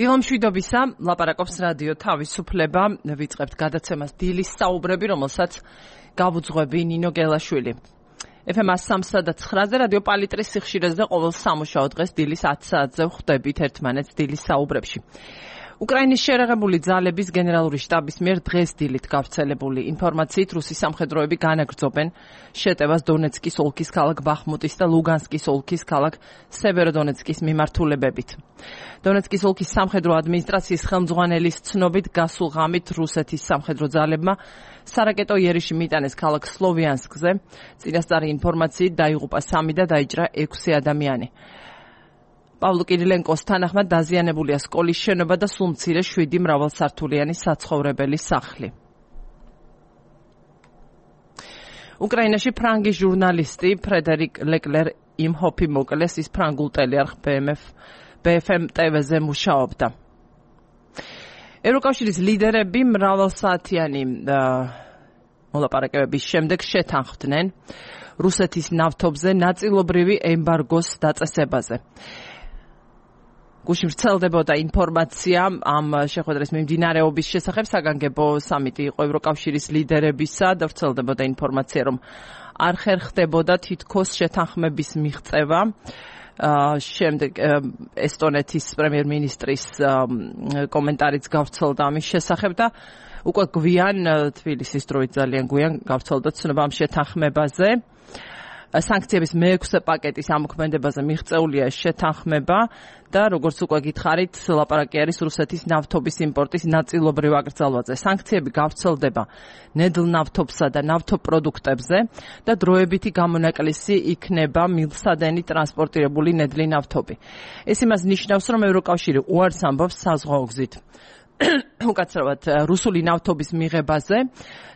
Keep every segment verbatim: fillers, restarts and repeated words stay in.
დილო მშვიდობისა, ლაპარაკობს რადიო თავისუფლება, ვიწყებთ გადაცემას დილის საუბრები, რომელსაც გავუძღვები ნინო გელაშვილი. ეფ ემ სამსა და ცხრაზე რადიო პალიტრის სიხშირეზე ყოველ სამუშაო დღეს დილის ათი საათზე ვხვდებით ერთმანეთს დილის საუბრებში. უკრაინის შერეღებული ძალების გენერალური შტაბის მიერ დღეს დილით გავრცელებული ინფორმაციით რუსი სამხედროები განაგრძობენ შეტევას დონეცკის ოლქის ქალაქ ბახმუტის და ლუგანსკის ოლქის ქალაქ სევეროდონეცკის მიმართულებებით. დონეცკის ოლქის სამხედრო ადმინისტრაციის ხელმძღვანელის ცნობით გასულ ღამით რუსეთის სამხედრო ძალებმა სარაკეტო იერიში მიტანეს ქალაქ სლოვიანსკზე. წინასწარი ინფორმაციით დაიღუპა სამი და დაიჭრა ექვსი ადამიანი. პავლო კირილენკოს თანახმად დაზიანებულია სკოლის შენობა და სულ მცირე შვიდი მრავალსართულიანი საცხოვრებელი სახლი. უკრაინაში ფრანგი ჟურნალისტი ფრედერიკ ლეკლერ იმჰოფი მოკლეს, ის ფრანგულ ტელეარხ ბე ეფ ემ ტე ვეზე მუშაობდა. ევროკავშირის ლიდერები მრავალსაათიანი მოლაპარაკებების შემდეგ შეთანხმდნენ რუსეთის ნავთობზე ნაწილობრივი ემბარგოს დაწესებაზე. გუშინ ვრცელდებოდა ინფორმაცია ამ შეხვედრის მიმდინარეობის შესახებ. საგანგებო სამიტი იყო ევროკავშირის ლიდერებისა და ვრცელდებოდა ინფორმაცია, რომ არ ხერხდებოდა თითქოს შეთანხმების მიღწევა. შემდეგ ესტონეთის პრემიერ-მინისტრის კომენტარიც გავრცელდა ამის შესახებ და უკვე გვიან თბილისის დროით ძალიან გვიან გავრცელდა ცნობა ამ შეთანხმებაზე. სანქციების მეექვსე პაკეტის ამოქმედებაზე მიღწეულია შეთანხმება და როგორც უკვე გითხარით, ლაპარაკი არის რუსეთის ნავთობის იმპორტის ნაწილობრივ აკრძალვაზე. სანქციები გავრცელდება ნედლ ნავთობსა და ნავთობპროდუქტებზე და დროებითი გამონაკლისი იქნება მილსადენი ტრანსპორტირებული ნედლი ნავთობი. ეს იმას ნიშნავს, რომ ევროკავშირი უარს ამბობს საზღვაო გზით უკაცრავად რუსული ნავთობის მიღებაზე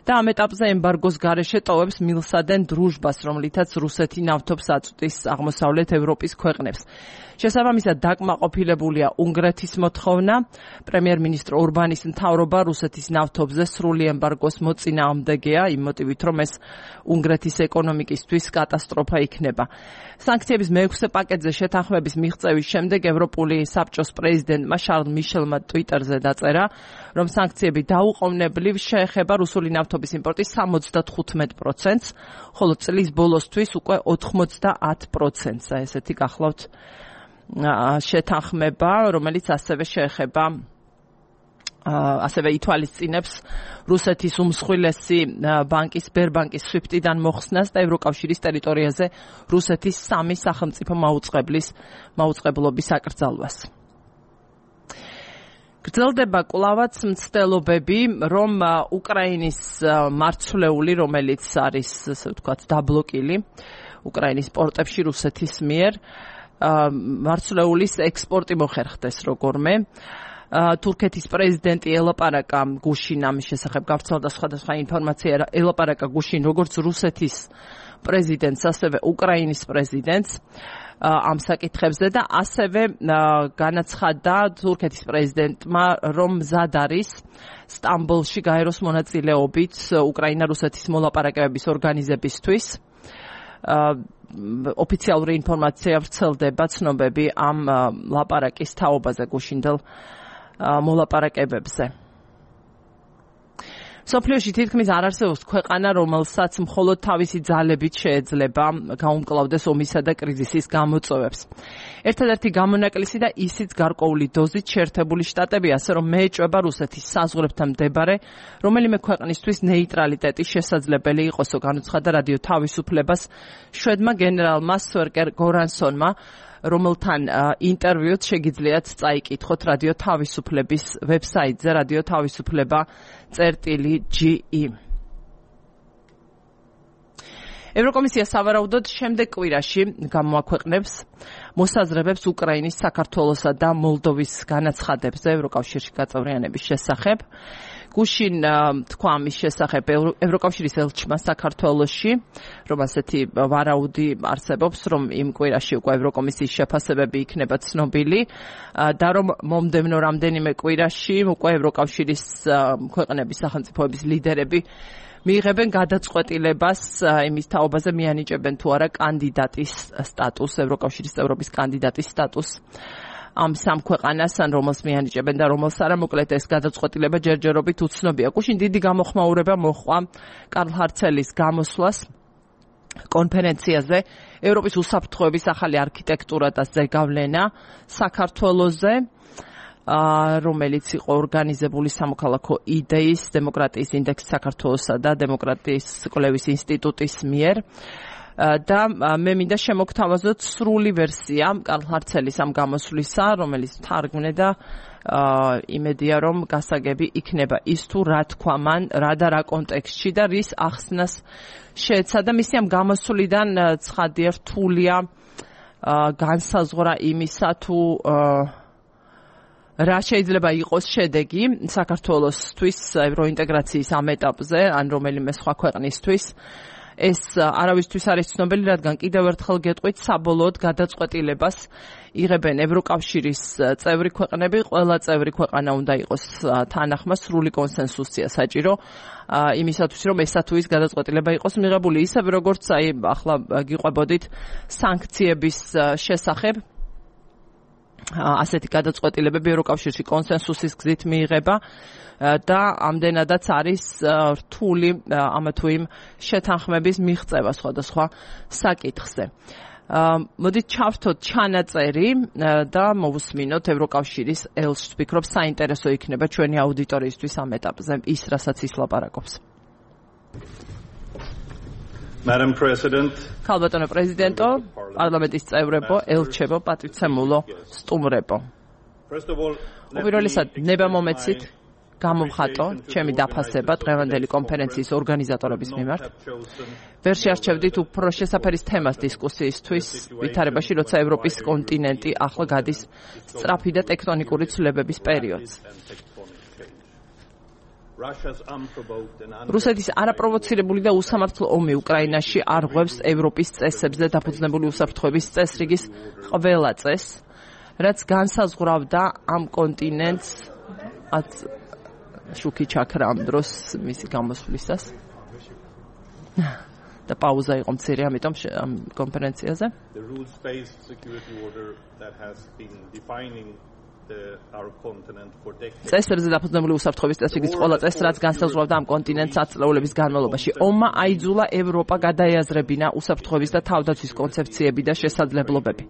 და ამ ეტაპზე ემბარგოს გარეშე ტოვებს მილსადენ დრუჟბას, რომლითაც რუსეთი ნავთობს აწვდის აღმოსავლეთ ევროპის ქვეყნებს. შესაბამისად დაკმაყოფილებულია უნგრეთის მოთხოვნა. პრემიერ-მინისტრ ორბანის მთავრობა რუსეთის ნავთობზე სრული ემბარგოს მოწინააღმდეგეა, იმ მოტივით, რომ ეს უნგრეთის ეკონომიკისთვის კატასტროფა იქნება. სანქციების მეექვსე პაკეტზე შეთანხმების მიღწევის შემდეგ ევროპული საბჭოს პრეზიდენტმა შარლ მიშელმა ტვიტერზე დაწერა, რომ სანქციები დაუყოვნებლივ შეეხება რუსული ნავთობის იმპორტის სამოცდათხუთმეტ პროცენტს, ხოლო წლის ბოლოსთვის უკვე ოთხმოცდაათ პროცენტს. ესეთი გახლავთ შეთანხმება, რომელიც ასევე შეეხება ასევე ითვალისწინებს რუსეთის უმსხვილესი ბანკის სბერბანკის სვიფტიდან მოხსნას და ევროკავშირის ტერიტორიაზე რუსეთის სამი სახელმწიფო მაუწყებლის მაუწყებლობის აკრძალვას. გრძელდება კვლავაც მცდელობები, რომ უკრაინის მარცვლეული, რომელიც არის, ასე ვთქვათ, დაბლოკილი უკრაინის პორტებში რუსეთის მიერ, მარცვლეულის ექსპორტი მოხერხდეს როგორმე. თურქეთის პრეზიდენტი ელაპარაკა გუშინ ამის შესახებ გავრცელდა სხვადასხვა ინფორმაცია. ელაპარაკა გუშინ როგორც რუსეთის პრეზიდენტს, ასევე უკრაინის პრეზიდენტს ამ საკითხებზე და ასევე განაცხადა თურქეთის პრეზიდენტმა, რომ მზად არის სტამბოლში გაეროს მონაწილეობით უკრაინა-რუსეთის მოლაპარაკებების ორგანიზებისთვის. ოფიციალური ინფორმაცია ვრცელდება, ცნობები ამ ლაპარაკის თაობაზე გუშინდელ მოლაპარაკებებზე. მსოფლიოში თითქმის არ არსებობს ქვეყანა, რომელსაც მხოლოდ თავისი ძალებით შეეძლება გაუმკლავდეს ომისა და კრიზისის გამოწვევებს. ერთადერთი გამონაკლისი და ისიც გარკვეული დოზით შეერთებული შტატები, ასე რომ მეეჭვება რუსეთის საზღვრებთან მდებარე რომელიმე ქვეყნისთვის ნეიტრალიტეტი შესაძლებელი იყოსო, განუცხადა რადიო თავისუფლებას შვედმა გენერალმა სვერკერ გორანსონმა, რომელთან ინტერვიუც შეგიძლიათ წაიკითხოთ რადიო თავისუფლების ვებსაიტზე რადიო თავისუფლება წერტილი ჯი ი. ევროკომისია სავარაუდოდ შემდეგ კვირაში გამოაქვეყნებს მოსაზრებებს უკრაინის, საქართველოსა და მოლდოვის განაცხადებზე ევროკავშირში გაწევრიანების შესახებ. გუშინ თქვა ამის შესახებ ევროკავშირის ელჩმა საქართველოში, რომ ასეთი ვარაუდი არსებობს, რომ იმ კვირაში უკვე ევროკომისიის შეფასებები იქნება ცნობილი და რომ მომდევნო რამდენიმე კვირაში უკვე ევროკავშირის ქვეყნების სახელმწიფოების ლიდერები მიიღებენ გადაწყვეტილებას იმის თაობაზე მიანიჭებენ თუ არა კანდიდატის სტატუსს, ევროკავშირის წევრობის კანდიდატის სტატუსს ამ სამ ქვეყანას, ან რომელს მიანიჭებენ და რომელს არა, მოკლედ ეს გადაწყვეტილება ჯერჯერობით უცნობია. გუშინ დიდი გამოხმაურება მოჰყვა კარლ ჰარცელის გამოსვლას კონფერენციაზე ევროპის უსაფრთხოების ახალი არქიტექტურა და ზეგავლენა საქართველოზე, რომელიც იყო ორგანიზებული სამოქალაქო იდეის დემოკრატიის ინდექსი საქართველოსა და დემოკრატიის კვლევის ინსტიტუტის მიერ. და მე მინდა შემოგთავაზოთ სრული ვერსია კარლ ჰარცელის ამ გამოსვლისა, რომელიც თარგმნე და იმედია რომ გასაგები იქნება ის თუ რა თქვა მან, რა და რა კონტექსტში და რის ახსნას შეეცადა. მისი ამ გამოსვლიდან ცხადია რთულია განსაზღვრა იმისა თუ რა შეიძლება იყოს შედეგი საქართველოსთვის ევროინტეგრაციის ამ ეტაპზე, ან რომელიმე სხვა ქვეყნისთვის. ეს არავისთვის არის ცნობილი, რადგან კიდევ ერთხელ გეტყვით, საბოლოოდ გადაწყვეტილებას იღებენ ევროკავშირის წევრი ქვეყნები, ყველა წევრი ქვეყანა უნდა იყოს თანახმა, სრული კონსენსუსია საჭირო იმისათვის, რომ ესა თუ ის გადაწყვეტილება იყოს მიღებული, ისე როგორც აი ახლა გიყვებოდით სანქციების შესახებ. ასეთი გადაწყვეტილებები ევროკავშირში კონსენსუსის გზით მიიღება და ამდენადაც არის რთული ამა თუ იმ შეთანხმების მიღწევა სხვადასხვა საკითხზე. მოდით ჩავრთოთ ჩანაწერი და მოვუსმინოთ ევროკავშირის ელჩს. ვფიქრობ, საინტერესო იქნება ჩვენი აუდიტორიისთვის ამ ეტაპზე ის, რასაც ის ლაპარაკობს. Madam President, ქალბატონო პრეზიდენტო, პარლამენტის წევრებო, ელჩებო, პატრიცემულო, სტუმრებო. უპირველესად, ნება მომეცით გამოვხატო ჩემი დაფასება დღევანდელი კონფერენციის ორგანიზატორების მიმართ. ვერ შეარჩევდით უფრო შესაფერის თემას დისკუსიისთვის ვითარებაში, როცა ევროპის კონტინენტი ახლა გადის სწრაფი და ტექტონიკური ცვლილებების პერიოდს. რუსეთის არაპროვოცირებული და უსამართლო ომი უკრაინაში არღვევს ევროპის წესებზე დაფუძნებული უსაფრთხოების წესრიგის ყველა წესს, რაც განსაზღვრავდა ამ კონტინენტს შუქი ჩაქრა ამ დროს მისი გამოსვლისას. და პაუზა იყო მცირე, ამიტომ ამ კონფერენციაზე. წესრიგზე დაფუძნებული უსაფრთხოების წესრიგის ყველა წესს, რაც განსაზღვრავდა ამ კონტინენტს ათწლეულების განმავლობაში. ომმა აიძულა ევროპა გადაეაზრებინა უსაფრთხოების და თავდაცვის კონცეფციები და შესაძლებლობები,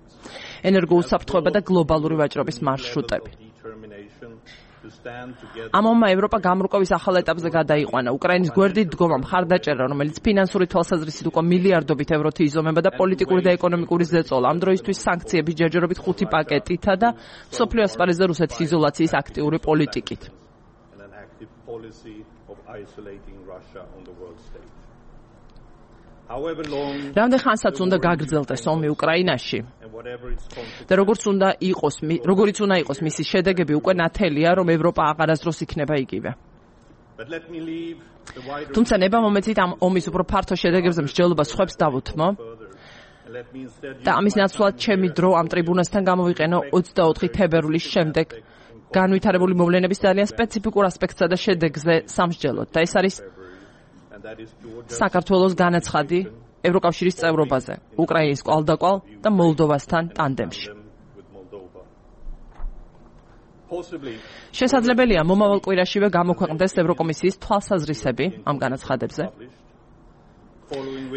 ენერგოუსაფრთხოება და გლობალური ვაჭრობის მარშრუტები. ამ ომმა ევროპა გამრუყების ახალ ეტაპზე გადაიყვანა. უკრაინის გვერდით დგომა მხარდაჭერა, რომელიც ფინანსური თვალსაზრისით უკვე მილიარდობით ევროთი იზომება და პოლიტიკური და ეკონომიკური ზეწოლა. ამ დროისთვის სანქციები ჯერჯერობით ხუთი პაკეტითა და მსოფლიო ასპარეზზე რუსეთის იზოლაციის აქტიური პოლიტიკით. რამდენ ხანსაც უნდა გაგრძელდეს ომი უკრაინაში და როგორც უნდა იყოს, როგორიც უნდა იყოს მისი შედეგები, უკვე ნათელია, რომ ევროპა აღარასდროს იქნება იგივე. თუმცა ნება მომეცით ამ ომის უფრო ფართო შედეგებზე მსჯელობას სხვებს დავუთმო და ამის ნაცვლად ჩემი დრო ამ ტრიბუნასთან გამოვიყენო ოცდაოთხი თებერვლის შემდეგ განვითარებული მოვლენების ძალიან სპეციფიკურ ასპექტსა და შედეგზე სამსჯელოდ. და ეს არის საქართველოს განაცხადი ევროკავშირის წევრობაზე, უკრაინის კვალდაკვალ და მოლდოვასთან ტანდემში. შესაძლებელია მომავალ კვირაშივე გამოქვეყნდეს ევროკომისიის თვალსაზრისები ამ განაცხადებზე,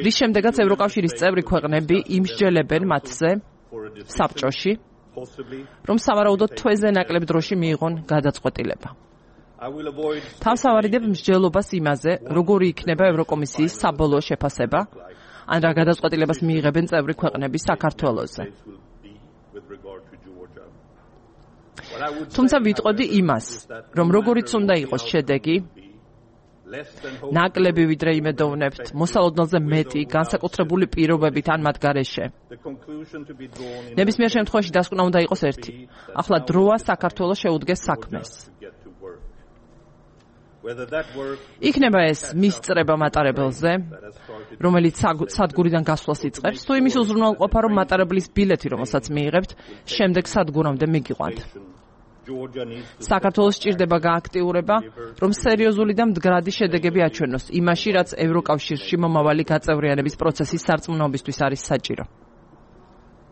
რის შემდეგაც ევროკავშირის წევრი ქვეყნები იმსჯელებენ მათზე საბჭოში, რომ სავარაუდოდ თვეზე ნაკლებ დროში მიიღონ გადაწყვეტილება. თავს ავარიდებ მსჯელობას იმაზე, როგორი იქნება ევროკომისიის საბოლოო შეფასება, ან რა გადაწყვეტილებას მიიღებენ წევრი ქვეყნები საქართველოზე. თუმცა ვიტყოდი იმას, რომ როგორიც უნდა იყოს შედეგი, ნაკლები ვიდრე იმედოვნებთ, მოსალოდნელზე მეტი, განსაკუთრებული პირობებით ან მათ გარეშე. ნებისმიერ შემთხვევაში დასკვნა უნდა იყოს ერთი. ახლა დროა საქართველოს შეუდგეს საქმეს. იქნება ეს მისწრება მატარებელზე, რომელიც სადგურიდან გასვლას იწყებს, თუ იმის უზრუნველყოფა, რომ მატარებლის ბილეთი, რომელსაც მიიღებთ, შემდეგ სადგურამდე მიგიყვანთ. საქართველოს სჭირდება გააქტიურება, რომ სერიოზული და მდგრადი შედეგები აჩვენოს იმაში, რაც ევროკავშირში მომავალი გაწევრიანების პროცესის სარწმუნოებისთვის არის საჭირო.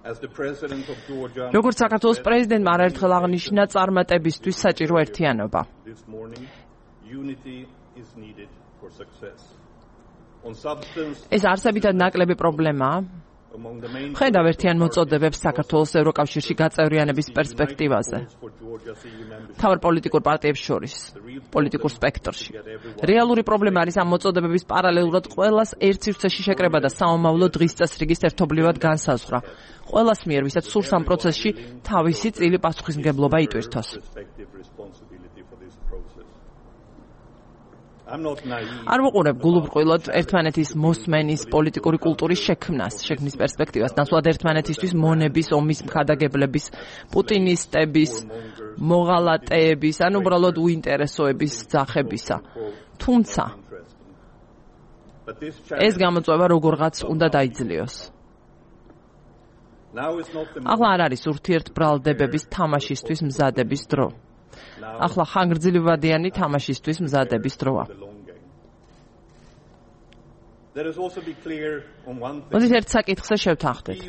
As the president of Georgia, როგორც საქართველოს პრეზიდენტმა არაერთხელ აღნიშნა წარმატებისთვის საჭირო ერთიანობა. This morning, unity is needed for success. On substance, ეს არსებითად ნაკლები პრობლემაა. among the main ხედავ ერთიან მოწოდებებს საქართველოს ევროკავშირში გაწევრიანების პერსპექტივაზე. for Georgia's E U membership, თავარ პოლიტიკურ პარტიებს შორის, პოლიტიკურ სპექტრში. რეალური პრობლემა არის ამ მოწოდებების პარალელურად ყველას ერთ სივრცეში შეკრება და საომავლო დღის წესრიგის ერთობლივად განსაზღვრა. ყველას მიერ, ვისაც სურს ამ პროცესში თავისი წილი პასუხისმგებლობა იტვირთოს. respective responsibility for this process. I'm not naive. არ ვუყურებ გულუბრყვილოდ ერთმანეთის მოსმენის პოლიტიკური კულტურის შექმნას, შექმნის პერსპექტივას, ნაცვლად ერთმანეთისთვის მონების, ომის მხადაგებლების, პუტინისტების, მოღალატეების, ან უბრალოდ უინტერესოების ძახებისა. თუმცა But this ეს challenge გამოწვევა როგორღაც უნდა დაიძლიოს. now is not the ახლა არ არის ურთიერთბრალდებების თამაშისთვის მზადების დრო. ახლა ხანგრძლივადიანი თამაშისთვის მზადების დროა. the long game. Let us also be clear on one thing. მოდით ერთ საკითხზე შევთანხმდეთ.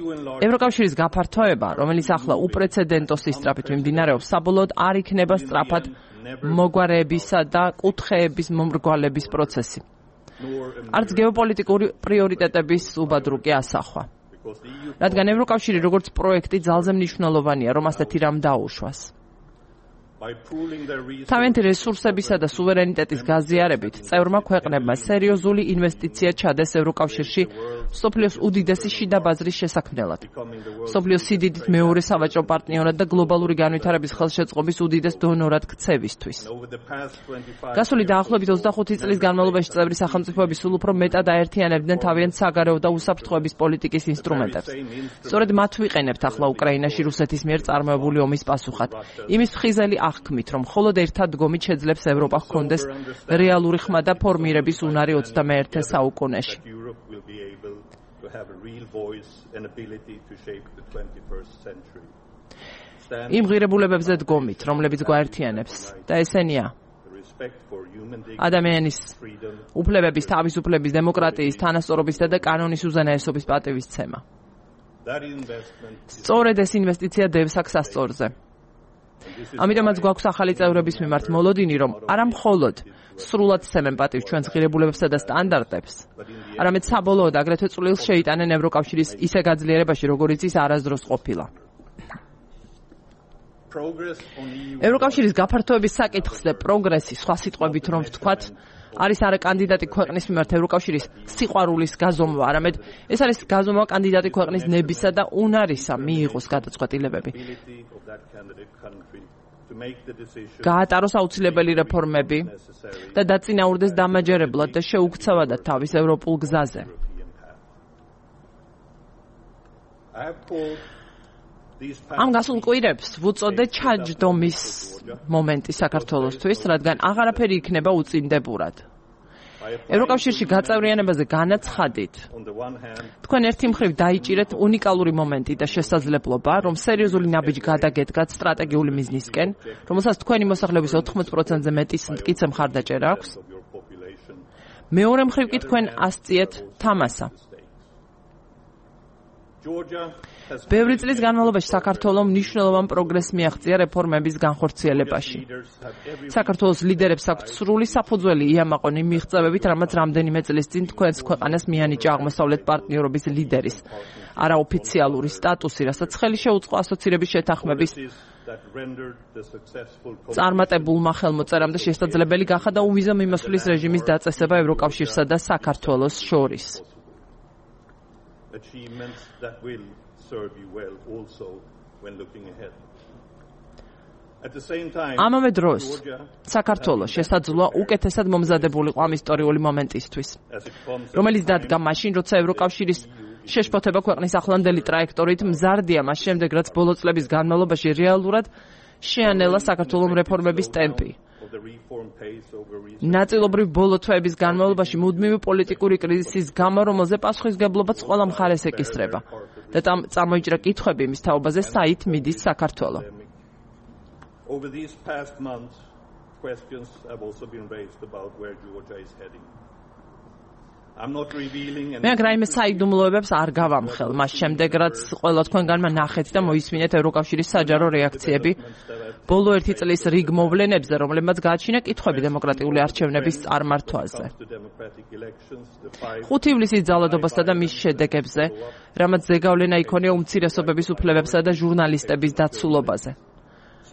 ევროკავშირის გაფართოება, რომელიც ახლა უპრეცედენტო სისწრაფით მიმდინარეობს, საბოლოოდ არ იქნება სწრაფად მოგვარებისა და კუთხეების მომრგვალების პროცესი. nor არც გეოპოლიტიკური პრიორიტეტების უბადრუკი ასახვა. because the E U რადგან ევროკავშირი როგორც პროექტი ძალზე მნიშვნელოვანია, რომ ასეთი რამ დაუშვას. by pooling their resources თავიანთი რესურსებისა და სუვერენიტეტის გაზიარებით, წევრმა ქვეყნებმა სერიოზული ინვესტიცია ჩადეს ევროკავშირში სოფლიოს უდიდესი შიდა ბაზრის შესაქმნელად. becoming the world სოფლიოს სიდიდით მეორე სავაჭრო პარტნიორად და გლობალური განვითარების ხელშეწყობის უდიდეს დონორად ქცევისთვის. over the past twenty-five გასული დაახლოებით ოცდახუთი წლის განმავლობაში წევრი სახელმწიფოები სულ უფრო მეტად აერთიანებდნენ თავიანთ საგარეო და უსაფრთხოების პოლიტიკის ინსტრუმენტებს. სწორედ მათ ვიყენებთ ახლა უკრაინაში რუსეთის მიერ წარმოებული ომის პასუხად. იმის ფხიზელი აღქმით, რომ მხოლოდ ერთად დგომით შეძლებს ევროპა ჰქონდეს რეალური ხმა და ფორმირების უნარი ოცდამეერთე საუკუნეში. that Europe will be able to have a real voice and ability to shape the twenty-first century. Stand იმ ღირებულებებზე დგომით, რომლებიც გვაერთიანებს და ესენია the respect for human dignity, ადამიანის freedom, უფლებების, თავისუფლების, დემოკრატიის, თანასწორობისა და კანონის უზენაესობის პატივისცემა. that investment is, სწორედ ეს ინვესტიცია დევსაქს ასწორზე. and this is ამიტომაც გვაქვს ახალი წევრების მიმართ მოლოდინი, რომ არა მხოლოდ სრულად სცემენ პატივს ჩვენს ღირებულებებსა და სტანდარტებს, არამედ საბოლოოდ აგრეთვე წვლილს შეიტანენ ევროკავშირის ისე გაძლიერებაში, როგორიც ის არასდროს ყოფილა. progress on E U ევროკავშირის გაფართოების საკითხზე პროგრესი, სხვა სიტყვებით რომ ვთქვათ, არის არა კანდიდატი ქვეყნის მიმართ ევროკავშირის სიყვარულის გაზომვა, არამედ ეს არის გაზომვა კანდიდატი ქვეყნის ნებისა და უნარისა მიიღოს გადაწყვეტილებები. ability of that candidate country to make the decision გაატაროს აუცილებელი რეფორმები necessary და დაწინაურდეს დამაჯერებლად და შეუქცევადად თავის ევროპულ გზაზე. European path. I have called these ამ past გასულ კვირებს ვუწოდე ჩაჯდომის მომენტი საქართველოსთვის, რადგან აღარაფერი იქნება უწინდებურად. by applying ევროკავშირში გაწევრიანებაზე განაცხადით, on the one hand თქვენ ერთი მხრივ დაიჭირეთ უნიკალური მომენტი და შესაძლებლობა, რომ სერიოზული ნაბიჯი გადაგედგათ სტრატეგიული მიზნისკენ, რომელსაც თქვენი მოსახლეობის ოთხმოც პროცენტზე მეტის მტკიცე მხარდაჭერა აქვს. of your population მეორე მხრივ კი თქვენ ასწიეთ თამასა. Georgia has ბევრი წლის განმავლობაში საქართველოს მნიშვნელოვან პროგრესს მიაღწია რეფორმების განხორციელებაში. leaders have every საქართველოს ლიდერებს აქვთ სრული საფუძველი იამაყონ იმ მიღწევებით, რამაც რამდენიმე წლის წინ თქვენს ქვეყანას მიანიჭა აღმოსავლეთ პარტნიორობის ლიდერის არაოფიციალური სტატუსი, რასაც ხელი შეუწყო ასოცირების შეთანხმების policies that rendered the successful წარმატებულმა ხელმოწერამ და შესაძლებელი გახადა და უვიზო მიმოსვლის რეჟიმის დაწესება ევროკავშირსა და საქართველოს შორის. achievements that will serve you well also when looking ahead. At the same time, ამავე დროს Georgia, საქართველოს შესაძლოა უკეთესად მომზადებულიყო ამ ისტორიული მომენტისთვის, as it comes რომელიც დადგა მაშინ, როცა ევროკავშირის შეშფოთება ქვეყნის ახლანდელი ტრაექტორით მზარდია მას შემდეგ, რაც ბოლო წლების განმავლობაში რეალურად შეანელა საქართველოს რეფორმების ტემპი. of the reform pace over recent ნაწილობრივ ბოლო თვეების განმავლობაში მუდმივი პოლიტიკური კრიზისის გამო, რომელზე პასუხისგებლობაც ყველა მხარეს ეკისრება და წამ- წამოიჭრა კითხვები მის თაობაზე, საით მიდის საქართველო. Over these past months, questions have also been raised about where Georgia is heading. მე აქ რაიმე საიდუმლოებებს არ გავამხელ, მას შემდეგ რაც ყველა თქვენგანმა ნახეთ და მოისმინეთ ევროკავშირის საჯარო რეაქციები ბოლო ერთი წლის რიგ მოვლენებზე, რომლებმაც გააჩინა კითხვები დემოკრატიული არჩევნების წარმართვაზე. ხუთი ივლისის ძალადობასა და მის შედეგებზე, რამაც ზეგავლენა იქონია უმცირესობების უფლებებსა და ჟურნალისტების დაცულობაზე.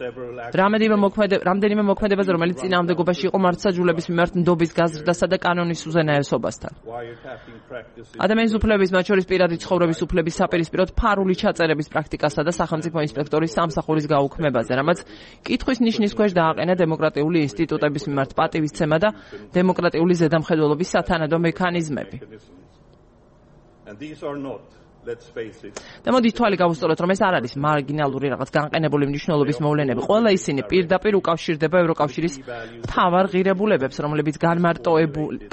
რამდენიმე მოქმედებაზე, რომელიც წინააღმდეგობაში იყო მართლმსაჯულების მიმართ ნდობის გაზრდასა და კანონის უზენაესობასთან. ადამიანის უფლებების, მათ შორის პირადი ცხოვრების უფლების საპირისპიროდ ფარული ჩაწერების პრაქტიკასა და სახელმწიფო ინსპექტორის სამსახურის გაუქმებაზე, რამაც კითხვის ნიშნის ქვეშ დააყენა დემოკრატიული ინსტიტუტების მიმართ პატივისცემა და დემოკრატიული ზედამხედველობის სათანადო მექანიზმები. და მოდით თვალი გავუსწოროთ, რომ ეს არ არის მარგინალური რაღაც განყენებული მნიშვნელობის მოვლენები. ყველა ისინი პირდაპირ უკავშირდება ევროკავშირის მთავარ ღირებულებებს, რომლებიც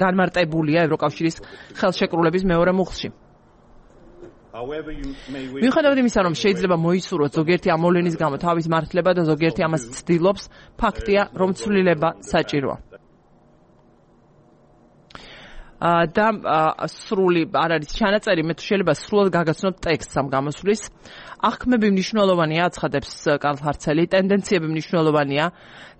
განმარტებულია ევროკავშირის ხელშეკრულების მეორე მუხლში. მიუხედავად იმისა, რომ შეიძლება მოისურვოთ ზოგიერთი ამ მოვლენის გამო თავის მართლება და ზოგიერთი ამას ცდილობს, ფაქტია, რომ ცვლილება საჭიროა. და სრული არ არის ჩანაწერი, მე თუ შეიძლება სრულად გაგაცნოთ ტექსტს ამ გამოსვლის. აღქმები მნიშვნელოვანია, აცხადებს კარლ ჰარცელი, ტენდენციები მნიშვნელოვანია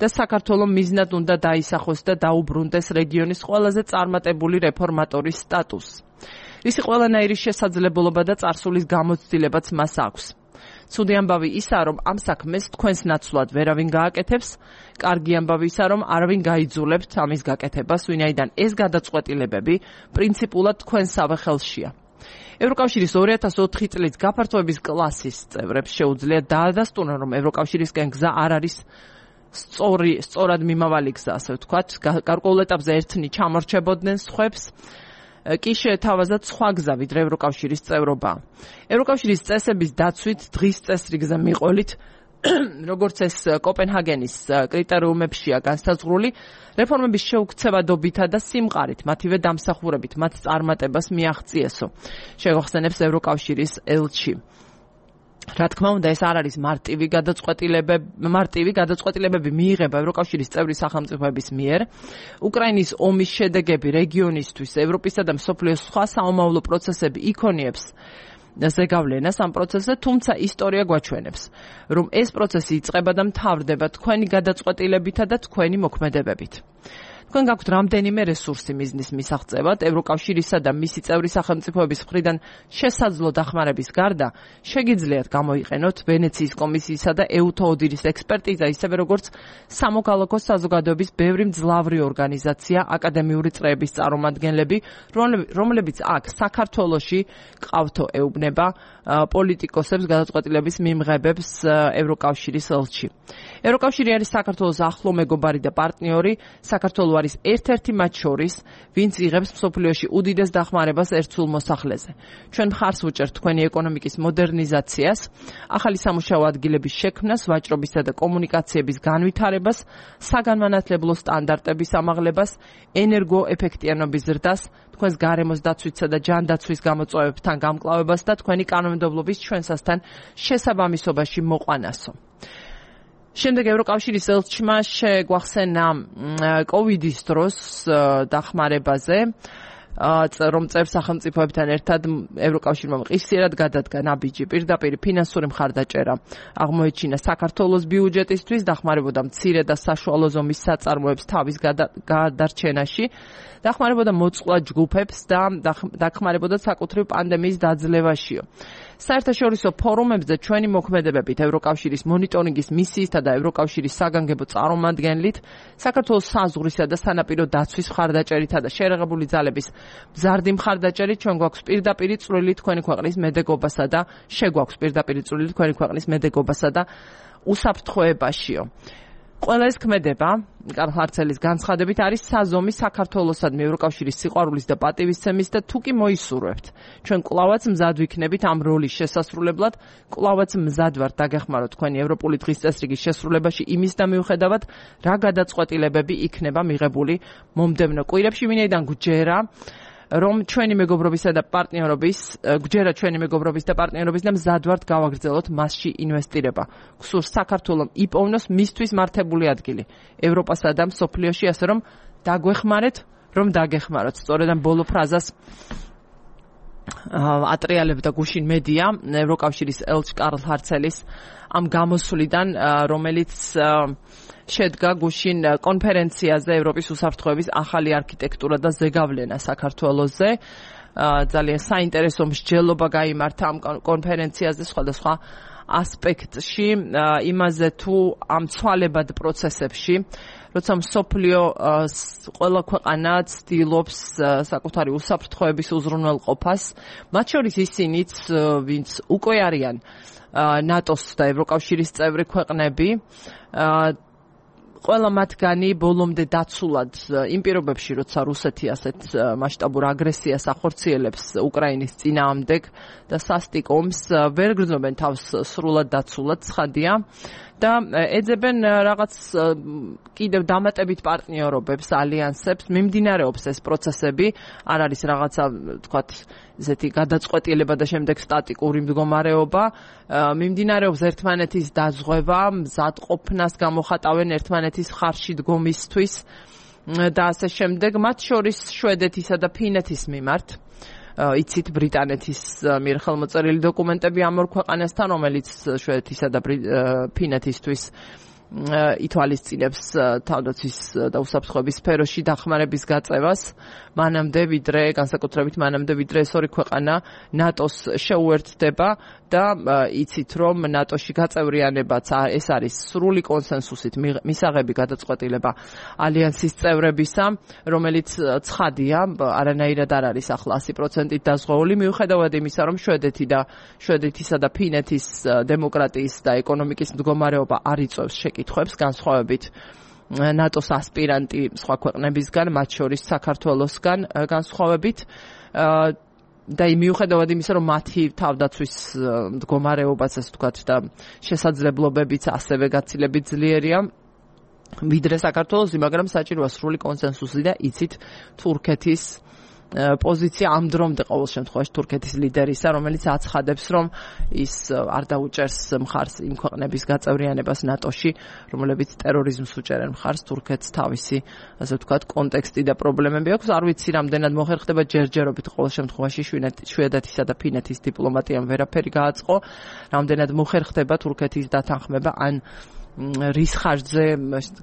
და საქართველოს მიზნად უნდა დაისახოს და დაუბრუნდეს რეგიონის ყველაზე წარმატებული რეფორმატორის სტატუსს. ისი ყველანაირი შესაძლებლობა და წარსულის გამოცდილებაც მას აქვს. ცუდი ამბავი ისაა, რომ ამ საქმეს თქვენს ნაცვლად ვერავინ გააკეთებს, კარგი ამბავი ისაა, რომ არავინ გაიძულებთ ამის გაკეთებას, ვინაიდან ეს გადაწყვეტილებები პრინციპულად თქვენსავე ხელშია. ევროკავშირის ორი ათას ოთხი წლის გაფართოების კლასის წევრებს შეუძლიათ დაადასტურონ, რომ ევროკავშირისკენ გზა არ არის სწორი, სწორად მიმავალი გზა, ასე ვთქვათ, გარკვეულ ეტაპზე ერთნი ჩამორჩებოდნენ სხვებს, კი შეეთავაზათ სხვა გზა, ვიდრე ევროკავშირის წევრობა. ევროკავშირის წესების დაცვით დღის წესრიგზე მიყოლით, როგორც ეს კოპენჰაგენის კრიტერიუმებშია განსაზღვრული, რეფორმების შეუქცევადობითა და სიმყარით, მათივე დამსახურებით, მათ წარმატებას მიაღწიესო, შეგახსენებს ევროკავშირის ელჩი. რა თქმა უნდა, ეს არ არის მარტივი გადაწყვეტილებები, მარტივი გადაწყვეტილებები მიიღება ევროკავშირის წევრი სახელმწიფოების მიერ. უკრაინის ომის შედეგები რეგიონისთვის, ევროპისა და მსოფლიოს სხვა საომავლო პროცესები იქონიებს ზეგავლენას ამ პროცესზე, თუმცა ისტორია გვაჩვენებს, რომ ეს პროცესი იწყება და მთავრდება თქვენი გადაწყვეტილებითა და თქვენი მოქმედებებით. თქვენ გაქვთ რამდენიმე რესურსი მიზნის მისაღწევად, ევროკავშირისა და მისი წევრი სახელმწიფოების მხრიდან შესაძლო დახმარების გარდა, შეგიძლიათ გამოიყენოთ ვენეციის კომისიისა და ეუთოოდირის ექსპერტიზა, ისევე როგორც სამოქალაქო საზოგადოების ბევრი მძლავრი ორგანიზაცია, აკადემიური წრეების წარმომადგენლები, რომლებიც აქ საქართველოში ყავთო ეუბნება პოლიტიკოსებს, გადაწყვეტილების მიმღებებს ევროკავშირის ელჩი. ევროკავშირი არის საქართველოს ახლო მეგობარი და პარტნიორი, საქართველო არის ერთ-ერთი მათ შორის, ვინც იღებს მსოფლიოში უდიდეს დახმარებას ერთსულ მოსახლეზე. ჩვენ მხარს ვუჭერთ თქვენი ეკონომიკის მოდერნიზაციას, ახალი სამუშაო ადგილების შექმნას, ვაჭრობისა და კომუნიკაციების განვითარებას, საგანმანათლებლო სტანდარტების ამაღლებას, ენერგოეფექტიანობის ზრდას, თქვენს გარემოს დაცვისა და ჯანდაცვის გამოწვევებთან გამკლავებას და თქვენი კანონმდებლობის ჩვენსასთან შესაბამისობაში მოყვანასო. შემდეგ ევროკავშირის ელჩმა შეგვახსენა კოვიდის დროს დახმარებაზე, რომ წევრ სახელმწიფოებთან ერთად ევროკავშირმა მყისიერად გადადგა ნაბიჯი პირდაპირ ფინანსური მხარდაჭერა აღმოეჩინა საქართველოს ბიუჯეტისთვის, დახმარებოდა მცირე და საშუალო ზომის საწარმოებს თავის გადარჩენაში, დახმარებოდა მოწყვლად ჯგუფებს და დახმარებოდა საკუთრივ პანდემიის დაძლევაშიო. საერთაშორისო ფორუმებზე ჩვენი მოქმედებებით, ევროკავშირის მონიტორინგის მისიისთა და ევროკავშირის საგანგებო წარმომადგენლით, საქართველოს საზღვრისა და სანაპირო დაცვის მხარდაჭერითა და შერეღებული ძალების მზარდი მხარდაჭერით ჩვენ გვაქვს პირდაპირი წვლილი თქვენი ქვეყნის მედეგობასა და შეგვაქვს პირდაპირი წვლილი თქვენი ქვეყნის მედეგობასა და უსაფრთხოებაშიო. ყველა ეს ქმედება, კარლ ჰარცელის განცხადებით, არის საზომი საქართველოსადმი ევროკავშირის სიყვარულის და პატივისცემის და თუ კი მოისურვებთ, ჩვენ კვლავაც მზად ვიქნებით ამ როლის შესასრულებლად, კვლავაც მზად ვართ დაგეხმაროთ თქვენი ევროპული დღის წესრიგის შესრულებაში იმის და მიუხედავად, რა გადაწყვეტილებები იქნება მიღებული მომდევნო კვირებში, ვინაიდან გვჯერა რომ ჩვენი მეგობრობისა და პარტნიორობის, გვჯერა ჩვენი მეგობრობის და პარტნიორობის და მზად ვართ გავაგრძელოთ მასში ინვესტირება. გსურს საქართველოს იპოვნოს მისთვის მართებული ადგილი ევროპასა და მსოფლიოში, ასე რომ დაგვეხმარეთ, რომ დაგეხმაროთ. სწორედ ამ ბოლო ფრაზას ატრიალებდა გუშინ მედია ევროკავშირის ელჩ კარლ ჰარცელის ამ გამოსვლიდან, რომელიც შედგა გუშინ კონფერენციაზე ევროპის უსაფრთხოების ახალი არქიტექტურა და ზეგავლენა საქართველოზე. ძალიან საინტერესო მსჯელობა გაიმართა ამ კონფერენციაზე სხვადასხვა ასპექტში, იმაზე თუ ამ ცვალებად პროცესებში, როცა მსოფლიო ყველა ქვეყანა ცდილობს საკუთარი უსაფრთხოების უზრუნველყოფას, მათ შორის ისინიც, ვინც უკვე არიან ნატოს და ევროკავშირის წევრი ქვეყნები, ყველა მათგანი ბოლომდე დაცულად იმ პირობებში, როცა რუსეთი ასეთ მასშტაბურ აგრესიას ახორციელებს უკრაინის წინააღმდეგ და სასტიკ ომს, ვერ გრძნობენ თავს სრულად დაცულად, ცხადია და ეძებენ რაღაც კიდევ დამატებით პარტნიორობებს, ალიანსებს, მიმდინარეობს ეს პროცესები, არ არის რაღაცა, თქვათ, ესეთი გადაწყვეტილება და შემდეგ სტატიკური მდგომარეობა, მიმდინარეობს ერთმანეთის დაზღვევა, მზადყოფნას გამოხატავენ ერთმანეთის ხარში დგომისთვის და ასე შემდეგ, მათ შორის შვედეთისა და ფინეთის მიმართ. იცით ბრიტანეთის მიერ ხელმოწერილი დოკუმენტები ამ ორ ქვეყანასთან, რომელიც შვედეთისა და ფინეთისთვის ითვალისწინებს თავდაცვის და უსაფრთხოების სფეროში დახმარების გაწევას, მანამდე ვიდრე, განსაკუთრებით მანამდე ვიდრე ეს ორი ქვეყანა ნატოს შეუერთდება და იცით რომ ნატოში გაწევრიანებაც ეს არის სრული კონსენსუსით მისაღები გადაწყვეტილება ალიანსის წევრებისა, რომელიც ცხადია, არანაირად არ არის ახლა ასი პროცენტით დაზღვეული, მიუხედავად იმისა, რომ შვედეთი და შვედეთისა და ფინეთის დემოკრატიის და ეკონომიკის მდგომარეობა არ იწვევს შეკითხვებს, განსხვავებით ნატოს ასპირანტი სხვა ქვეყნებისგან, მათ შორის საქართველოსგან განსხვავებით და მიუხედავად იმისა, რომ მათი თავდაცვის მდგომარეობაც, ასე ვთქვათ, და შესაძლებლობებიც ასევე გაცილებით ძლიერია ვიდრე საქართველოსი, მაგრამ საჭიროა სრული კონსენსუსი და იცით თურქეთის პოზიცია ამ დრომდე ყოველ შემთხვევაში თურქეთის ლიდერისა, რომელიც აცხადებს, რომ ის არ დაუჭერს მხარს იმ ქვეყნების გაწევრიანებას ნატოში, რომლებიც ტერორიზმს უჭერენ მხარს, თურქეთს თავისი, ასე ვთქვათ, კონტექსტი და პრობლემები აქვს. არ ვიცი, რამდენად მოხერხდება ჯერჯერობით ყოველ შემთხვევაში შვედეთისა და ფინეთის დიპლომატიამ ვერაფერი გააწყო, რამდენად მოხერხდება თურქეთის დათანხმება ან რის ხარჯზე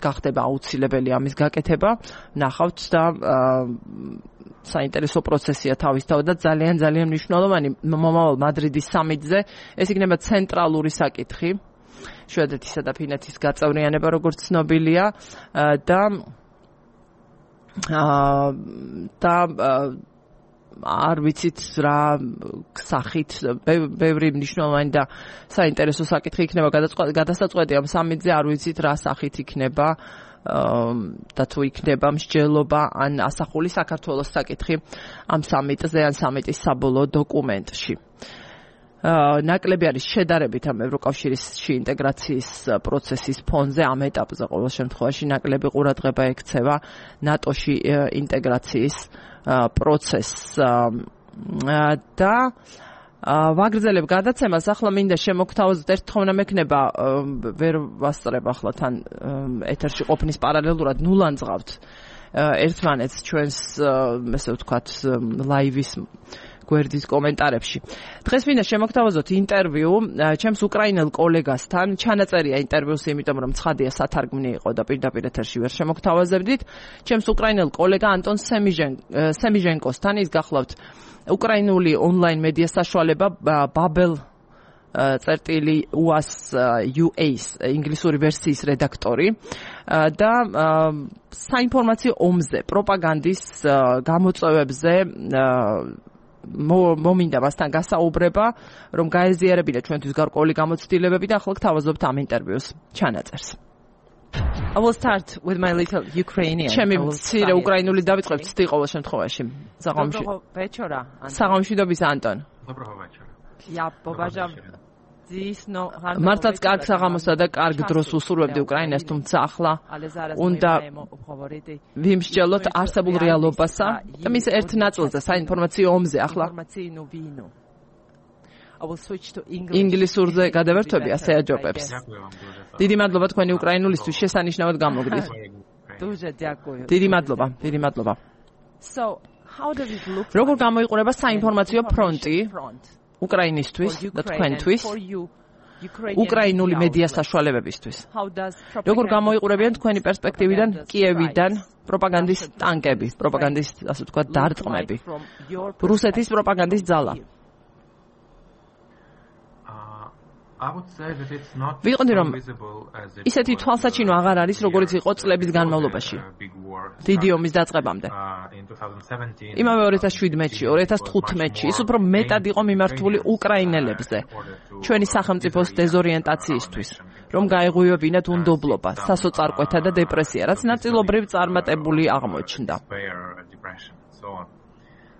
გახდება აუცილებელი ამის გაკეთება, ნახავთ და საინტერესო პროცესია თავისთავად და ძალიან ძალიან მნიშვნელოვანი მომავალ მადრიდის სამიტზე. ეს იქნება ცენტრალური საკითხი, შვედეთისა და ფინეთის გაწევრიანება, როგორც ცნობილია და და არ ვიცით რა სახით, ბევრი მნიშვნელოვანი და საინტერესო საკითხი იქნება გადასაწყვეტი ამ სამიტზე, არ ვიცით რა სახით იქნება და თუ იქნება მსჯელობა ან ასახული საქართველოს საკითხი ამ სამიტზე ან სამიტის საბოლოო დოკუმენტში. ნაკლები არის შედარებით ამ ევროკავშირში ინტეგრაციის პროცესის ფონზე, ამ ეტაპზე ყოველ შემთხვევაში ნაკლები ყურადღება ექცევა ნატოში ინტეგრაციის პროცესს და ვაგრძელებ გადაცემას. ახლა მინდა შემოგთავაზოთ, ერთ თხოვნა მექნება, ვერ ვასწრებ ახლა თან ეთერში ყოფნის პარალელურად, ნულანძღავთ ერთმანეთს ჩვენს, ესე ვთქვათ, ლაივის გვერდის კომენტარებში. დღეს მინდა შემოგთავაზოთ ინტერვიუ ჩემს უკრაინელ კოლეგასთან. ჩანაწერია ინტერვიუსი, იმიტომ რომ ცხადია სათარგმნი იყო და პირდაპირ ეთერში ვერ შემოგთავაზებდით. ჩემს უკრაინელ კოლეგა ანტონ სემიჟენკოსთან, ის გახლავთ უკრაინული ონლაინ მედია საშუალება ბაბელ წერტილი უას იუეის ინგლისური ვერსიის რედაქტორი და საინფორმაციო ომზე, პროპაგანდის გამოწვევებზე მომინდა მასთან გასაუბრება, რომ გაეზიარებინა ჩვენთვის გარკვეული გამოცდილებები და ახლა გთავაზობთ ამ ინტერვიუს ჩანაწერს. I will start with my little Ukrainian. ჩემი მცირე უკრაინული დავიწყებ ცდი ყოველ შემთხვევაში. Доброго вечора. საღამშვიდობის ანტონ. Доброго вечора. Я побажав მართლაც კარგ საღამოსა და კარგ დროს უსურვებდი უკრაინას, თუმცა ახლა უნდა ვიმსჯელოთ არსებულ რეალობასა და მის ერთ ნაწილზე, საინფორმაციო ომზე. ახლა ინგლისურზე გადავერთვები, ასე აჯობებს. დიდი მადლობა თქვენი უკრაინულისთვის, შესანიშნავად გამოგდით. დიდი მადლობა, დიდი მადლობა. So როგორ გამოიყურება საინფორმაციო ფრონტი უკრაინისთვის და თქვენთვის უკრაინული მედია საშუალებებისთვის? როგორ გამოიყურებიან თქვენი პერსპექტივიდან კიევიდან პროპაგანდის ტანკები, პროპაგანდის, ასე ვთქვათ, დარტყმები, რუსეთის პროპაგანდის ძალა? ვიყოდი რომ ისეთი თვალსაჩინო აღარ არის, როგორც იყო წლების განმავლობაში, დიდი ომის დაწყებამდე. იმავე ორი ათას შვიდმეტში, ორი ათას თხუთმეტში ის უფრო მეტად იყო მიმართული უკრაინელებზე, ჩვენი სახელმწიფოს დეზორიენტაციისთვის, რომ გაეღვივებინათ უნდობლობა, სასოწარკვეთა და დეპრესია, რაც ნაწილობრივ წარმატებული აღმოჩნდა.